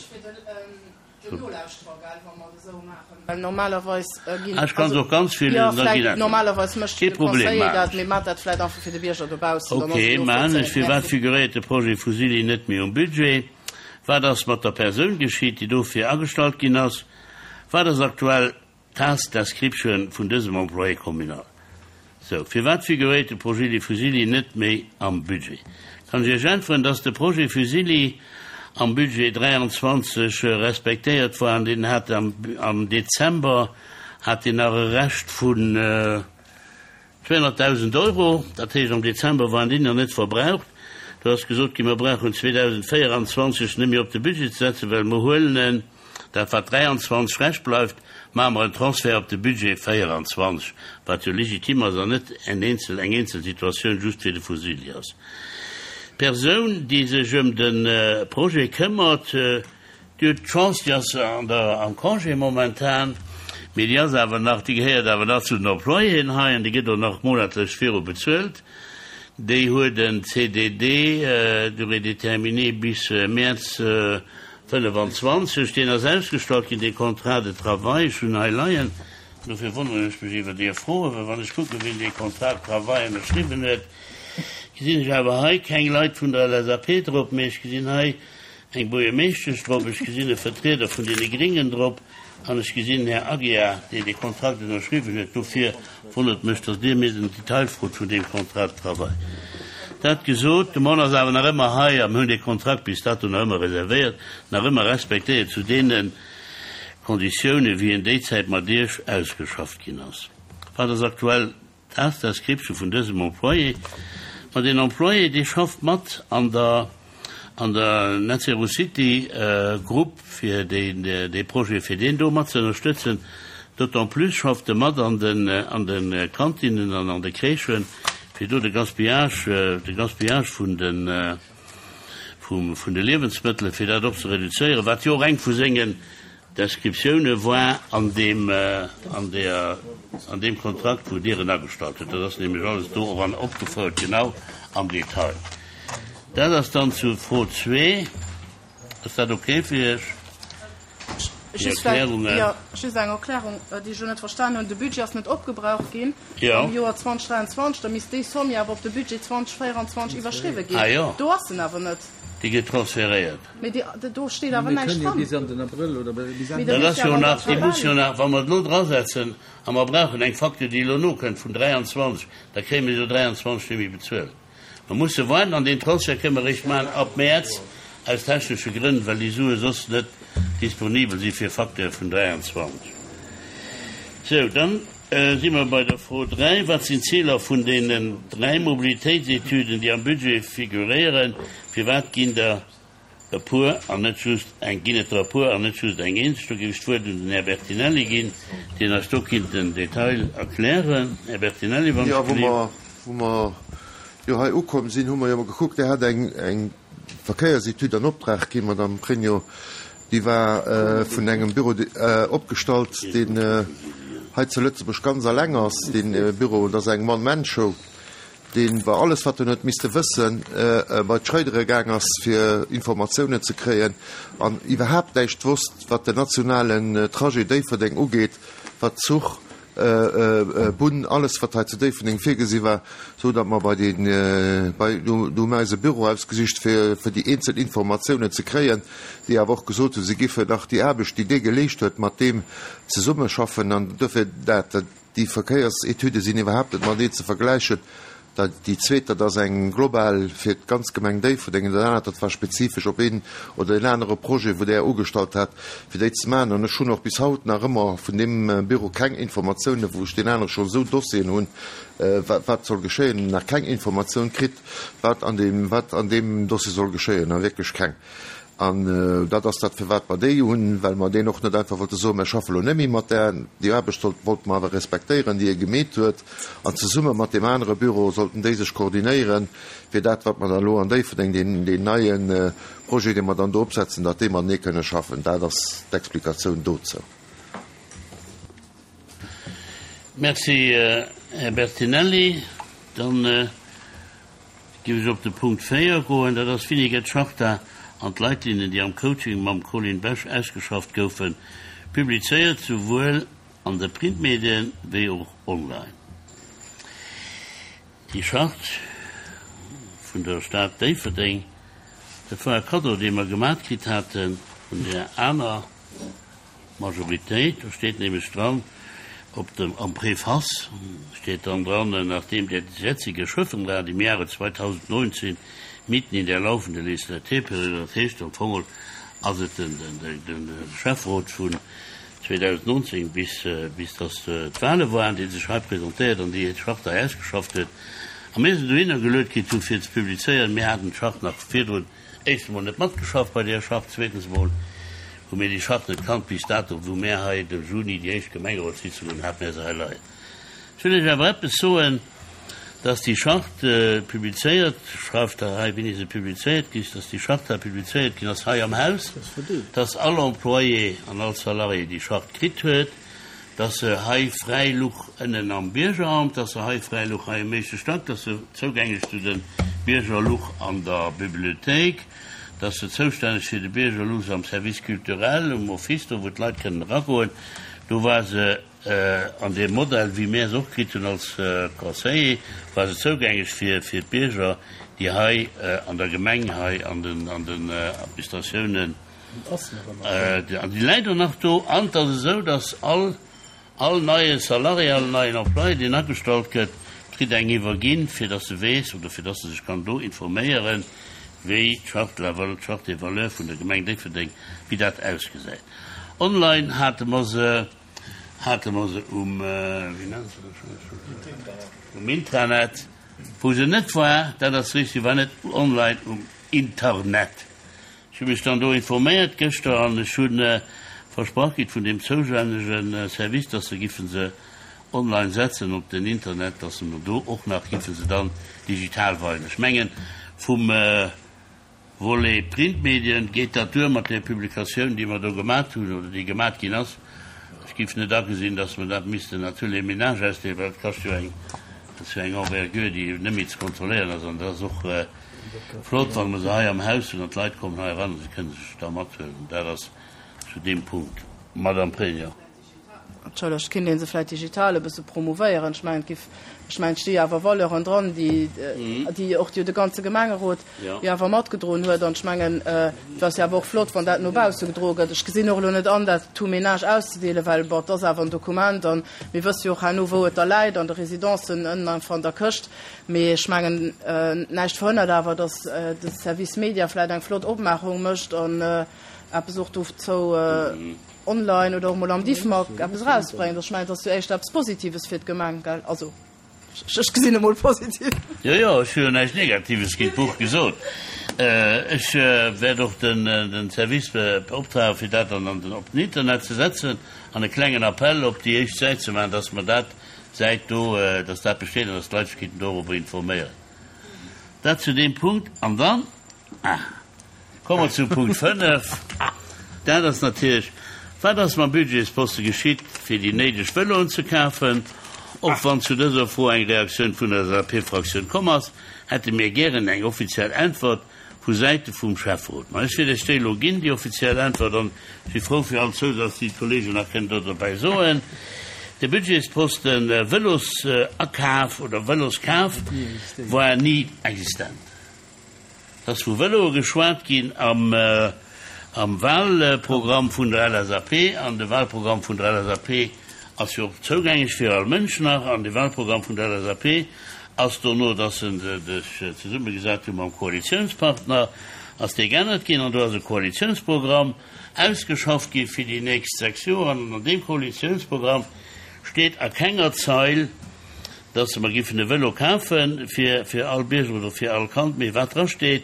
Den Nolauschterer, gell, wa mer et esou maachen, well normalerweis ginn, Ah, ech kann se och ganz virliesen, jo, da vläicht, ginn dat. normalerweis mécht Kee de Problem, Conseiller maachen dat, ech. mee maacht dat vläicht einfach fir de Bierger dobaussen, dann ass Okay, et maachen ech. nozvollzéien. Firwat Merci. figuréiert de Projet Fusilli net méi um Budget? Wat ass mat der Persoun geschitt, déi dofir agestallt ginn ass? Wat ass aktuell d'Task description vun dësem Employé communal? Sou, firwat figuréiert de Projet de Fusilli net méi am Budget? Kann ech Iech äntweren, dass de Projet Fusilli am Budget 23 respektéiert war an deen hat am Dezember hat deen nach e Rescht vun 200.000 Euro, dat heescht am Dezember waren déi nach net verbraucht. Do ass gesot ginn, mer brauchen 2024 net méi op de Budget ze setzen, well mer huelen en, dat wat 23 Rescht bleift, maache mer en Transfert op de Budget 24, wat jo legitim ass an net en eenzel, eng eenzel Situatioun just fir de Fusilli ass. D'Persoun, déi sech ëm de Projet këmmert, Déi huet d'Chance, déi ass an der, am Congé momentan, mee déi ass awer nach, déi gehéiert awer nach zu den Employéen hei an déi gëtt och nach monatlech viru bezuelt. Déi huet en CDD, durée déterminée, bis Mäerz 25. Deen ass ausgestallt ginn, dee Contrat de travail. Ech hunn en hei leien, dofir wonneren ech mech iwwer Är Froen, well wann ech kucken, wien dee Contrat de travail ënnerschriwwen huet, gesinn ech awer hei keng Leit vun der LSAP drop, mee ech gesinn hei eng Buergermeeschtesch drop, ech gesinn e Vertrieder vun deene Gringen drop an ech gesinn den Här Aguiar, deen dee Kontrakt ënnerschriwwen huet. Dofir wonnert mech, datt Dir mir den Detail frot vun deem Contrat de travail. Dat gesot, de Mann ass awer nach ëmmer hei a mir hunn dee Kontrakt bis dato nach ëmmer reservéiert, nach ëmmer respektéiert zu deene Konditiounen, wéi en déizäit mat Iech ausgeschafft ginn ass. Wat ass aktuell D'Task-Description vun dësem Employé, Ma deen Employé, dee schafft mat an der an der Net Zero City Grupp fir dee Projet, fir deen do mat ze ënnerstëtzen. D'autant plus schafft e mat an den an de Kantinen an an de Crèchen, fir do de Gaspillage, de Gaspillage vun de vum vun de Liewensmëttelen, fir dat och ze reduzéieren, wat jo och eng vu sengen Descriptioune war an deem, an der, an deem Kontrakt, wou Dir en agestallt hutt. Dat ass nämlech alles do och an opgefouert, genau am Detail. Dat ass dann zu Fro zwee. Ass dat okay fir Iech, déi Erklärungen? Jo, just eng Erklärung, déi ech elo net verstanen hunn. De Budget ass net opgebraucht ginn am Joer 2023. Da misst déi Somm jo awer op de Budget 2024 iwwerschriwwe ginn. Do ass en awer net. Déi gëtt transféréiert. Mee déi, do steet awer näischt dran. Dat ass jo nach, déi muss jo nach, wa mer et elo drasetzen a mer brauchen eng Facture, déi elo nokënnt vun 23, da kréie mir jo 23 net méi bezuelt. Mer musse waarden an deen Transfert kënne mer eréischt maachen ab Mäerz, aus technesche Grënn, well déi Sue soss net disponibel si fir Facture vun 23. Sou, dann si mer bei der Fro 3, Wat sinn d'Ziler vun deenen dräi Mobilitéitsetüden, déi am Budget figuréieren? Firwat ginn der e puer an net just eng? Ginn et der e puer an net just eng eenzeg? Do géif ech d'Wuert un den Här Bertinelli ginn, deen eis do kinnt den Detail erklären. Här Bertinelli, wann Jo, ech wou gleef. mer, wou mer jo hei ukomm sinn, hu mer jo emol gekuckt, Dir hat eng, eng Verkéiersetüd an Optrag ginn, Madame Pregno, déi war vun engem Büro opgestallt, deen hei zu Lëtzebuerg ganz alleng ass, dee Büro, dat ass eng One-Man-Show. deen iwwer alles wat en huet misste wëssen, bei d'Schreidere gaang ass fir Informatiounen ze kréien an iwwerhaapt näischt wosst wat den nationalen Trajet Déifferdeng ugeet, wat Zuch, Bunn, alles wat hei zu Déifferdeng virgesi war, sou datt mer bei den, bei, do hu mer eis e Büro ausgesicht fir fir déi eenzel Informatiounen ze kréien, déi awer och gesot hunn, se giffen nach déi Aarbecht déi dee geleescht huet, mat deem zesummeschaffen an dofir dat. Déi Verkéiersetüde sinn iwwerhaapt net matenee ze vergläichen. Déi zweet, dat ass eng global fir d'ganz Gemeng Déifferdeng, an dat anert, dat war spezifesch op een oder deen anere Projet, wou Der ugestallt hat, fir déi ze maachen. An ech hunn och bis haut nach ëmmer vun deem Büro keng Informatiounen, wou ech deen anere scho esou Dossieren hunn, wat soll geschéien, nach keng Informatioun kritt, wat an deem, wat an deem Dossier soll geschéien, a wierklech keng. An dat ass dat, firwat mer déi hunn, well mer deen och net einfach wollte soen, mer schaffe lo net méi mat där. Déi Aarbecht sollt, wollte mer awer respektéieren, déi e gemeet huet. An zesumme mat deem anere Büro sollten déi sech koordinéieren, fir dat, wat mer dann elo an Déifferdeng, deen, deen neie Projet, dee mer dann do opsetzen, datt déi matenee kënne schaffen. Dat ass d'Explikatioun dozou. Merci, Här Bertinelli. Dann. Géif ech op de Punkt 4 goen, dat ass, Wéini gëtt d'Charta an d'Leitlinnen, déi am Coaching mam Colin Besch ausgeschafft goufen, publizéiert, souwuel an de Printmedien wéi och online? Déi Charte vun der Stad Déifferdeng. Dat war e Kaddo, dee mer gemat kritt hate vun där aner Majoritéit. Do steet nämlech dran, op dem, am Préface steet dann dran, Nachdem der jetzige Schöffenrat im Jahre 2019 mitten in der laufenden Legislaturperiode, dat heescht am Fong ass et den, den, den Schäfferot vun 2019 bis, bis dass d'Wahle waren, dee sech hei presentéiert an déi Charte hei ausgeschafft huet, a mir se dohinner geluet kritt hu fir ze publizéieren. Mir haten d'Charte nach virdrun éischt emol net matgeschafft bei där Charte, zweetens emol hu mir déi Charte net kannt bis dato, wou mir hei de Juni déi éischt Gemengerotssitzung hunn, hate mir se hei leien. Ech wëll Iech awer eppes soen, dass déi Charte publizéiert, schreift Der hei, wéini se publizéiert gi ass, dass déi Charte hei publizéiert ginn ass hei am Haus, dass all Employé an all Salarié déi Charte kritt huet, dass se hei fräi luch ënnen am Biergeramt, dass se hei fräi luch hei um éischte Stack, dass se zougänglech zu de Bierger luch an der Bibliothéik, dass se zoustänneg fir de Bierger luch am Service culturel, um Office, do wou d'Leit kënnen eragoen, do war se An deem Modell, wéi mir se och kritt hunn als Conseiller, war se zougänglech fir d'Bierger, déi hei an der Gemeng, hei an den Administratiounen, an déi läit och nach do. An et ass esou, dass all all neie Salarié, all neien Employé, deen agestallt gëtt, kritt eng iwwerginn, fir dass e weess oder fir dass e sech kann do informéieren, wéi d'Charte de la valeur, d'Charte des valeurs vun der Gemeng Déifferdeng, wéi dat ausgesäit. Online hate mer se. Hate mer se um, wéi nennt se dat schonn, um Intranet, wou se net war, dat ass richtig, war net online um Internet. Ech hu mech dann do informéiert gëschter an ech hu versprach kritt vun deem zoustännege Service, dass se giffen se online setzen op den Internet, dass se mer do och nach giffen se dann digital weisen. Ech mengen, vum. Volet Printmedien, geet dat duer mat där Publikatioun, déi mer do gemat hunn oder déi gemat ginn ass? Ech géif net agesinn, datt mer dat missten à tous les ménages ausdeelen, well dat kascht jo eng, dat ass jo eng Envergure, déi net méi ze kontrolléieren ass. An dat ass och flott, wa mer se hei am Haus hunn an d'Leit kommen hei eran a se kënne sech da mathuelen. Dat ass zu deem Punkt, Madame Pregno. Entschëllegt, kinnt een se vläit digital e bësse promouvéieren? Ech mengen, et giff, ech mengen, et sti jo awer Valeuren dran, déi, déi och jo de ganze Gemengerot jo awer matgedroen huet. An ech mengen, et ass jo awer och flott, wann dat no bausse gedroe gëtt. Ech gesinn och elo net an, dat tout ménage auszedeelen, well, bon, et ass awer en Dokument an mir wësse jo och herno, wou et da läit, an de Residencen ënnen einfach an der Këscht. Mee ech mengen, näischt verhënnert awer, datt de Service Media vläit eng flott Opmaachung mécht an eppes och dozou online oder och mol am Diffmag eppes erausbréngt. Ech mengen, et ass jo éischter eppes Positives fir d'Gemeng, gell? Also, ech gesinn emol positiv. Jo, jo, ech hu jo näischt Negatives géint d'Buch gesot. Ech wäert och den Service beoptragen, fir dat dann op den Internet ze setzen an e klengen Appell op déi éischt Säit ze maachen, dass mer dat Säit do, dass dat besteet an dass d'Leit sech kéinten dorobber informéieren. Dat zu deem Punkt. An dann, ah. Komme mer zu Punkt 5. Dat ass natierlech, Wat ass mam Budgetsposte geschitt, fir déi néideg Vëloen ze kafen? Och wann zu dëser Fro eng Reaktioun vun der LSAP-Fraktioun komm ass, hätte mir gären eng offiziell Äntwert vu Säite vum Schäfferot. Ma ech wäert Iech déi elo ginn, déi offiziell Äntwert, an si frou fir all Zousaz, déi d'Kollegen nach kënnen do dobäi soen. De Budgetsposten Vëlosakaf oder Vëloskaf war ni existent. Et ass vu Vëloe geschwat ginn am Wahlprogramm vun der LSAP. An de Wahlprogramm vun der LSAP ass jo och zougänglech fir all Mënsch nach. An de Wahlprogramm vun der LSAP ass dono, dass se sech zesummegesat hu mam Koalitionspartner, ass dee geännert ginn. An do ass e Koalitionsprogramm ausgeschafft gi fir déi nächst 6 Joer. An an deem Koalitionsprogramm steet a kenger Zeil, dass mer giffen e Vëlo kafe fir fir all Bierger oder fir all Kand, mee wat dra steet,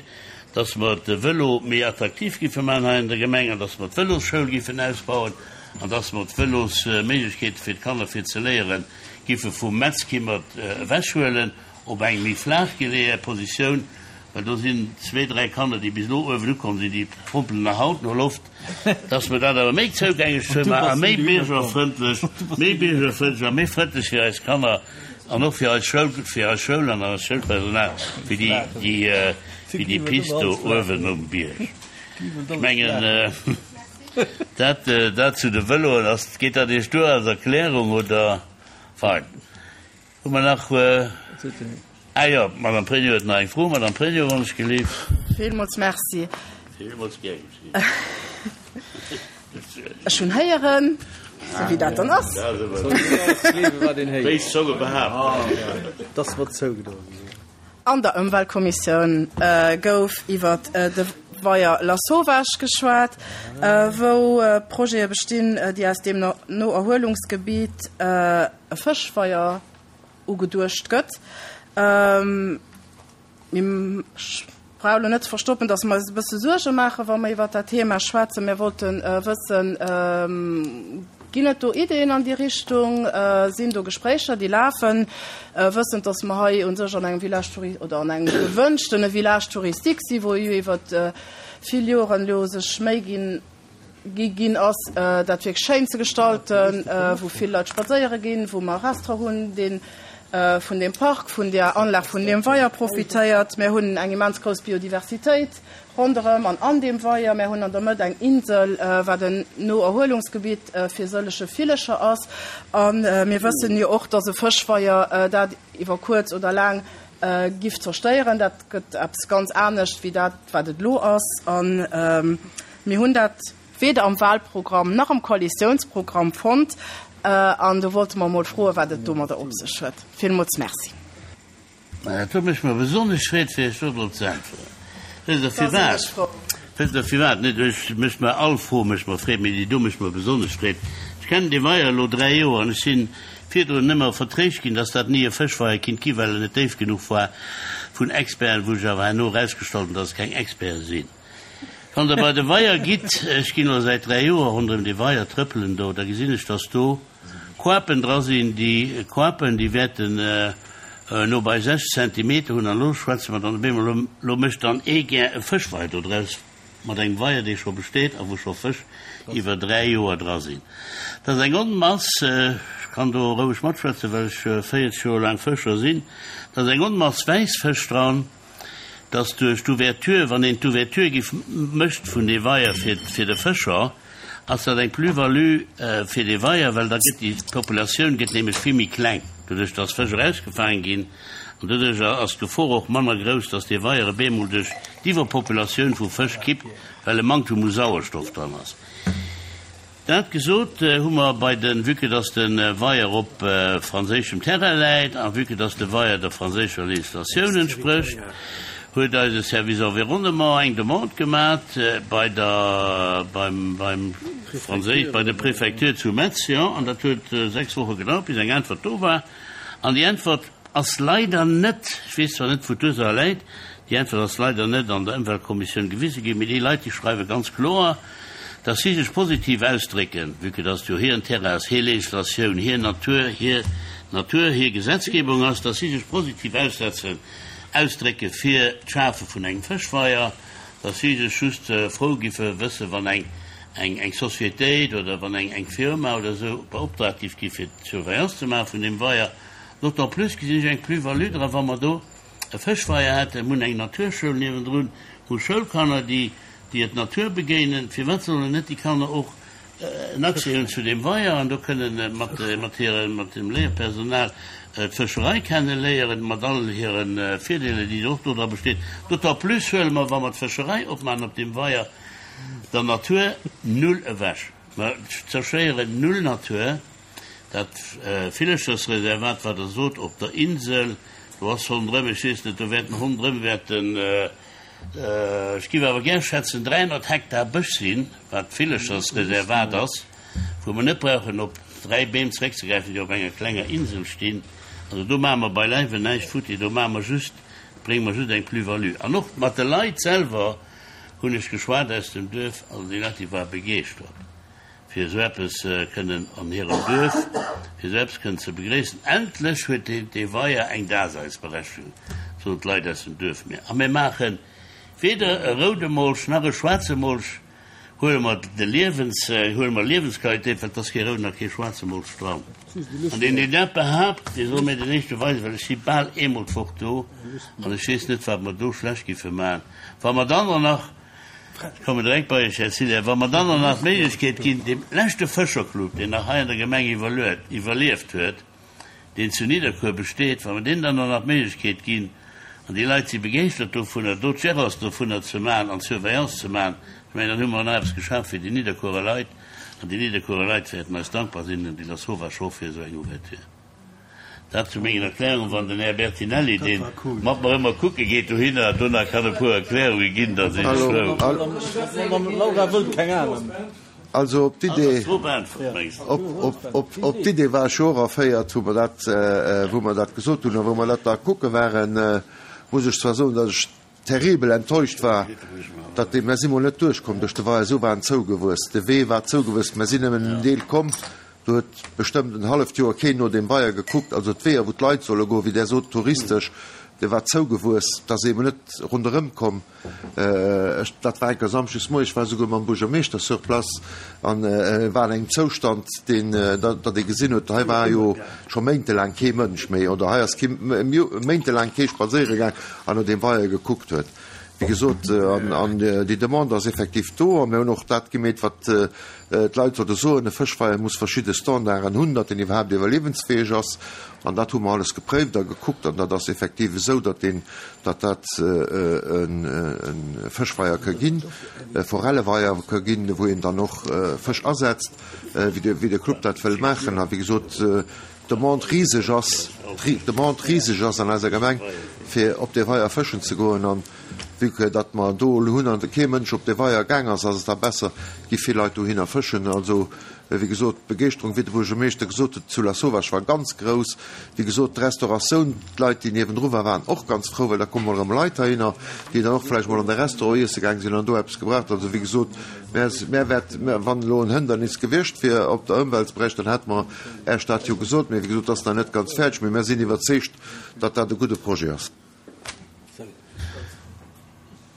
dass mer de Vëlo méi attraktiv giffe maachen hei an der Gemeng an dass mer d'Vëlosschoul giffen ausbauen an dass mer d'Vëlosméiglechkeete fir d'Kanner fir ze léiere giffe vum Metzkimmert ewechhuelen op eng méi flaach geleeë Positioun, well do sinn zwee, dräi Kanner, déi bis elo uewen ukomm sinn, déi pompelen nach haut no Loft. Dass mer dat awer méi zougänglech ze maachen a méi biergerfrëndlech, méi biergerfrëndlech a méi frëndlech fir eis Kanner an och fir eis Schoul, fir eis Schoul an eist Schoulpersonal, wéi déi, déi, wéi déi Pist do uewen um Bierg. Ech mengen, dat, dat zu de Vëloen. Ass, geet dat Iech duer als Erklärung oder? Fein. Hu mer nach, ah jo, d'Madame Pregno huet nach eng Fro. Madame Pregno, wann ech gelift. Villmools Merci. Villmools gär geschéen. Ech hunn héieren, sou wéi dat dann ass. Béis Zonge behaapten. Dass mer zougedoen sinn. An der Ëmweltkommissioun gouf iwwer de Weier Lasauvage geschwat, wou Projete bestinn, déi aus deem Noerhuelungsgebiet e Fëschweier ugeduecht gëtt. Mir brauche elo net ze verstoppen, dass mer eis e bësse Suerge maachen, wa mer iwwert dat Thema schwätzen. Mir wollte wëssen, Ginn et do Ideeën an déi Richtung? Sinn do Gespréicher, déi lafen? Wëssend, dass mer hei u sech an engem Village touri-, oder an engem gewënschtene Village touristique sinn, wou jo iwwert vill Joren elo sech Méi ginn, gi ginn ass, dat wierklech schéin ze gestalten, wou vill Leit spadséiere ginn, wou mer e Restaurant hunn, dee vun deem Park, vun där Anlag, vun deem Weier profitéiert. Mir hunn eng immens grouss Biodiversitéit ronderëm an an deem Weier. Mir hunn an der Mëtt eng Insel, wat en Noerhuelungsgebitt fir sëllege Villecher ass. A mir wëssen jo och, dass e Fëschweier dat iwwer kuerz oder laang giff zerstéieren. Dat gëtt eppes ganz anescht wéi dat, wat et elo ass. Mir hunn dat weder am Wahlprogramm nach am Koalitiounsprogramm fonnt an do wollte mer emol froen, wat et domadder op sech huet. Villmools Merci. Dat do mécht mer besonnesch Freed, fir Iech do drop ze äntweren. Wësst Der firwat? Wësst Der firwat? Net, ech mécht mer, all Fro mécht mer Freed, mee déi do mécht mer besonnesch Freed. Ech kennen dee Weier elo 3 Joer an ech sinn virdrun ëmmer vertréischt ginn, dass dat ni e Fëschweier kinnt gi well en net déif genuch war, vun Experten, wou sech awer herno erausgestallt hunn, dass et keng Experten sinn. Wann Der bei de Weier gitt, ech ginn elo säit 3 Joer ronderëm dee Weier trëppelen do, da gesinn ech, dass do Koapen dra sinn. Déi Koapen, déi wäerten no bei 6 Zentimeter hunn. An elo schwätze mer dann op eemol, elo, elo mécht dann ee gär e Fëschweier do draus mat engem Weier, dee scho besteet a wou scho Fësch iwwer 3 Joer dra sinn. Dat ass eng Onmass, ech kann do roueg matschwätzen, well ech 40 Joer laang Fëscher sinn, dat ass eng Onmass Wäissfësch dran. dass duerch d'Ouverture, wann een d'Ouverture giff mécht vun dee Weier fir fir de Fëscher, ass dat eng Plus-value fir dee Weier, well da gëtt déi Populatioun gëtt nämlech vill méi kleng, doduerch dass Fësch erausgefaange ginn, an doduerch ass d'Gefor och manner grouss, dass dee Weier op eemol duerch d'Iwwerpopulatioun vu Fësch kippt, well e Manktum u Sauerstoff dran ass. Dat gesot, hu mer bei den, vue que dass de Weier op franséischem Terrain läit a vue que dass de Weier der franséischer Législatioun entsprécht, huet eise Service Environnement eng Demande gemat bei der, beim, beim franséisch, bei der Préfecture zu Metz, jo, an dat huet 6 Woche gedauert, bis eng Äntwert do war. An déi Äntwert ass leider net, ech weess zwar net, wou d'Ursaach läit, déi Äntwert ass leider net an der Ëmweltkommissioun gewise ginn, mee déi Leit, déi schreiwe ganz kloer, dass si sech positiv ausdrécken, vue que dass jo hiren Terrain ass, hir Législatioun, hir Natur, hir Natur, hir Gesetzgebung ass, dass si sech positiv aussetzen, ausdrécke fir d'Schafe vun engem Fëschweier, dass si sech just frou giffe wëssen, wann eng, eng, eng Sociétéit oder wann eng, eng Firma oder esou beoptragt giff gi fir d'Surveillance ze maache vun deem Weier. D'autant plus gesinn ech eng Plus-value dra wa mer do e Fëschweier hätten. Mir hunn eng Naturschoul niewendrun, hu Schoulkanner, déi déi et Natur begéinen, firwat sollen net déi Kanner och en Accès hunn zu deem Weier an do kënnen mat mat hiren mat dem Léierpersonal d'Fëscherei kenne léieren, mat all hire Virdeeler, déi och do dra bestinn. D'autant plus huele mer, wa mer d'Fëscherei opmaachen op deem Weier, der Natur null ewech. Mer zerstéieren null Natur. Dat Villechersreservat, wat Der sot, op der Insel, do ass ronderëm, ech weess net, do wäerten ronderëm wäerten, ech géif awer gär schätzen, 300 Hektar Bësch sinn, wat d'Villechersreservat ass, wou mer net brauchen op 3 Beem zeréckzegräifen, déi op enger klenger Insel stinn. Also do maache mer beileiwen näischt futti, do maache mer just, brénge mer just eng Plus-value. An och mat de Leit selwer hunn ech geschwat aus dem Duerf, also déi Leit, déi ware begeeschtert. fir esou eppes kënnen an hirem Duerf, fir esou eppes kënnen ze begréissen. Endlech huet dee Weier eng Daseinsberechtigung, soen d'Leit aus dem Duerf mir. A mir maache weder e roude Molch nach e schwaarze Molch, huele mer de Liewens, huele mer Liewensqualitéit, well et ass kee rouden a kee schwaarze Molch dran. An deen, deen dat behaapt, dee soll mir den éischte weisen, well ech si bal eemol d'Woch do an ech weess net, wat mer do schlecht giffe maachen, wa mer dann och nach, Ech kommen direkt bei Iech, Här Cillien. Wa mer dann och nach d'Méiglechkeet ginn, deem leschte Fëscherclub, deen nach hei an der Gemeng iwwerlieft huet, deen zu Nidderkuer besteet, wa mer deenen dann och nach d'Méiglechkeet ginn. An déi Leit si begeeschtert dovunner, do d'Gérance dovunner ze maachen an d'Surveillance ze maachen. Ech mengen, dann hu mer nach eppes geschaf fir déi Nidderkuerer Leit. An déi Nidderkuerer Leit wäerten eis dankbar sinn an déi Lasauvage och fir esou eng Ouverture. Dat zu mengen Erklärungen. Wann den Här Bertinelli, dee mat mer ëmmer kucke geet dohinner, do nach kann e puer Erklärunge ginn, da sinn ech frou. Also op d'Idee, op d'Idee war ech jo och erféiert, wou mer dat, wou mer dat gesot hunn a wou mer dat da kucke waren, muss ech zwar soen, datt ech terribel enttäuscht war, datt dee, mer si mol net duerchkomm duerch de Weier, esou war en zougewuess, de Wee war zougewuess, mer sinn nëmmen en Deel komm, do huet bestëmmt en halleft Joer keen no deem Weier gekuckt, also d'Weeër wou d'Leit solle goen, wéi Der sot, touristesch, dee war zougewuess, da si mer net ronderëm komm. Ech, dat war enker Samschdes moies, ech war esouguer mam Buergermeeschter sur place an e war an engem Zoustand, deen, datt ee gesinn huet, hei war jo scho méintelaang kee Mënsch méi oder hei ass kee, méintelaang kee spadséiere gaang an no deem Weier gekuckt huet. Wéi gesot, an déi Demande ass effektiv do a mir hunn och dat gemeet, wat d'Leit sollte soen, e Fëschweier muss verschidde Standarden hunn, datt en iwwerhaapt iwwerliewensfäeg ass. An dat hu mer alles gepréift a gekuckt an dat ass effektiv esou, datt deen, datt dat e Fëschweier ka ginn, e Forelleweier ka ginn, wou een dann och Fësch asetzt, wéi de, wéi de Club dat wëll maachen. A wéi gesot, d'Demande riseg ass, d'Demande riseg ass an eiser Gemeng, fir op dee Weier fëschen ze goen. An vue que datt mer do elo hunn an kee Mënsch op dee Weier gaang ass, ass et da besser, gi vill Leit dohinner fëschen. Also, Wéi gesot, d'Begeeschterung, wéi de Buergermeeschter gesot huet, zu Lasauvage war ganz grouss. Wéi gesot, d'Restauratioun, d'Leit, déi niewendru waren, waren och ganz frou, well da komme mol erëm Leit heihinner, déi dann och vläicht mol an de Restaurant iesse gaang sinn an do eppes gebraucht hunn. Also, wéi gesot, mär, mär wäert, wann elo en Hëndernis gewiescht wier op der Ëmweltberäich, dann hätte mer Äech dat jo gesot. Mee wéi gesot, et ass nach net ganz fäerdeg, mee mär sinn iwwerzeegt, datt dat e gudde Projet ass.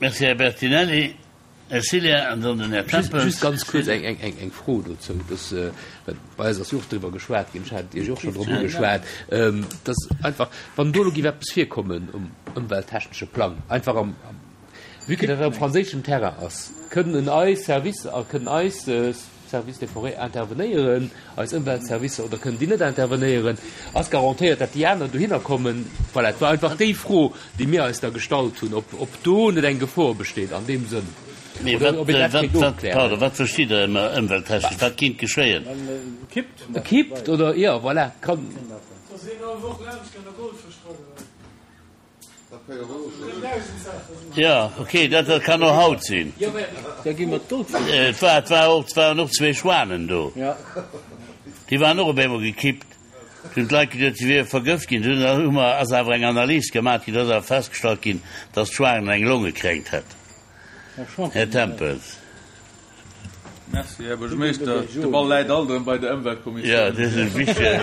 Merci, Här Bertinelli. Här Cillien an dann den Här Tempels. Just ganz kuerz eng Fro dozou, dass, well bei eis ass jo och driwwer geschwat ginn, ech hat Iech och schonn drop ugeschwat, dass einfach, wann do elo géif eppes virkommen um ëmwelttechnesche Plang, einfach am, vue que dat am franséischen Terrain ass, kënnen eis Servicer a kënnen eis Service des forêts intervenéieren, eis Ëmweltservicer, oder kënnen déi net intervenéieren? Ass garantéiert, datt déi aner dohinner kommen? Voilà, et war einfach déi Fro, déi mir eis da gestallt hunn, ob, ob do net eng Gefor besteet an deem Sënn, Mee oder wat, ob een dat wat, kéint wat, ofklären. pardon, wat verstitt Der ënner ëmwelttechnesch? Wat kéint geschéien? E kippt oder, jo, voilà, kann. Dass een all Woch laanscht kann a Goldfësch dra geheien. Jo, ok, dat kann och haut sinn. Et war, et war och, et waren och zwee Schwanen do. Déi waren och op eemol gekippt. Du hunn d'Leit geduet, se wiere vergëft ginn. Dunn hu mer, ass awer eng Analys gemaach ginn, do ass awer festgestallt ginn, dass d'Schwanen eng Longekränkt hätt. Här Tempels. Merci, Här Buergermeeschter. De Ball läit alt erëm bei der Ëmweltkommissioun. Jo, dat ass e wichtege.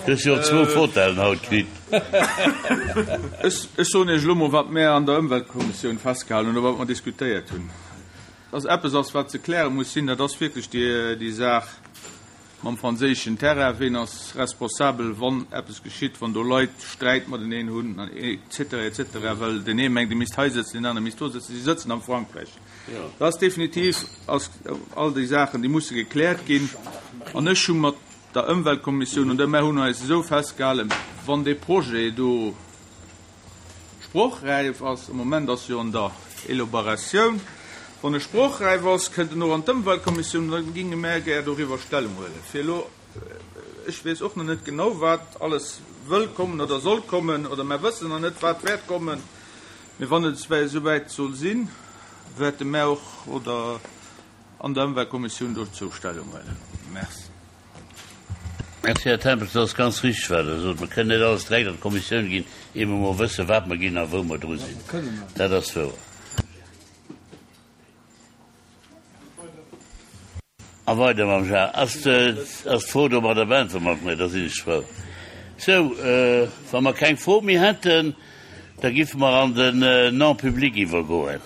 Du hues jo och zwou Fotellen haut kritt. Ech soen Iech elo mol, wat mär an der Ëmweltkommissioun festgehalen hunn oder wat mer diskutéiert hunn. Dass eppes ass, wat ze kläre muss sinn, dat ass wierklech déi Saach mam franséischen Terrain. Ween ass responsabel, wann eppes geschitt, wann do Leit Sträit mateneen hunn, et cetera, et cetera, well deen ee mengt, e misst hei sëtzen, deen anere misst do sëtzen. Si sëtzen am Frankräich. Dat ass definitiv, ass all déi Saachen, déi musse gekläert ginn. An ech hu mat der Ëmweltkommissioun, an mär hunn eis esou festgehalen, wann dee Projet do sprochräif ass, am Moment ass jo an der Elobaratioun, wann e sprochräif ass, kënnt en och an d'Ëmweltkommissioun, an da ginge mär gär doriwwer Stellung huelen. Fir elo, ech weess och nach net genau, wat alles wëll kommen oder soll kommen, oder mär wëssen nach net, wat wäert kommen. Mee wann et esouwäit soll sinn, wäerte mär och oder an der Ëmweltkommissioun dozou Stellung huelen. Merci. Merci, Här Tempels. Dat ass ganz richtig, wat Der sot. Mer kënnen net alles direkt an d'Kommissioun ginn, ier mer emol wëssen, wat mer ginn a wou mer dru sinn. Dat ass wouer. A weider mam Jacques. Ass d'Fro domadder beäntwert? Mat mir, da sinn ech frou. Sou, wa mer keng Fro méi hätten, da giffe mer an den Non-public iwwergoen.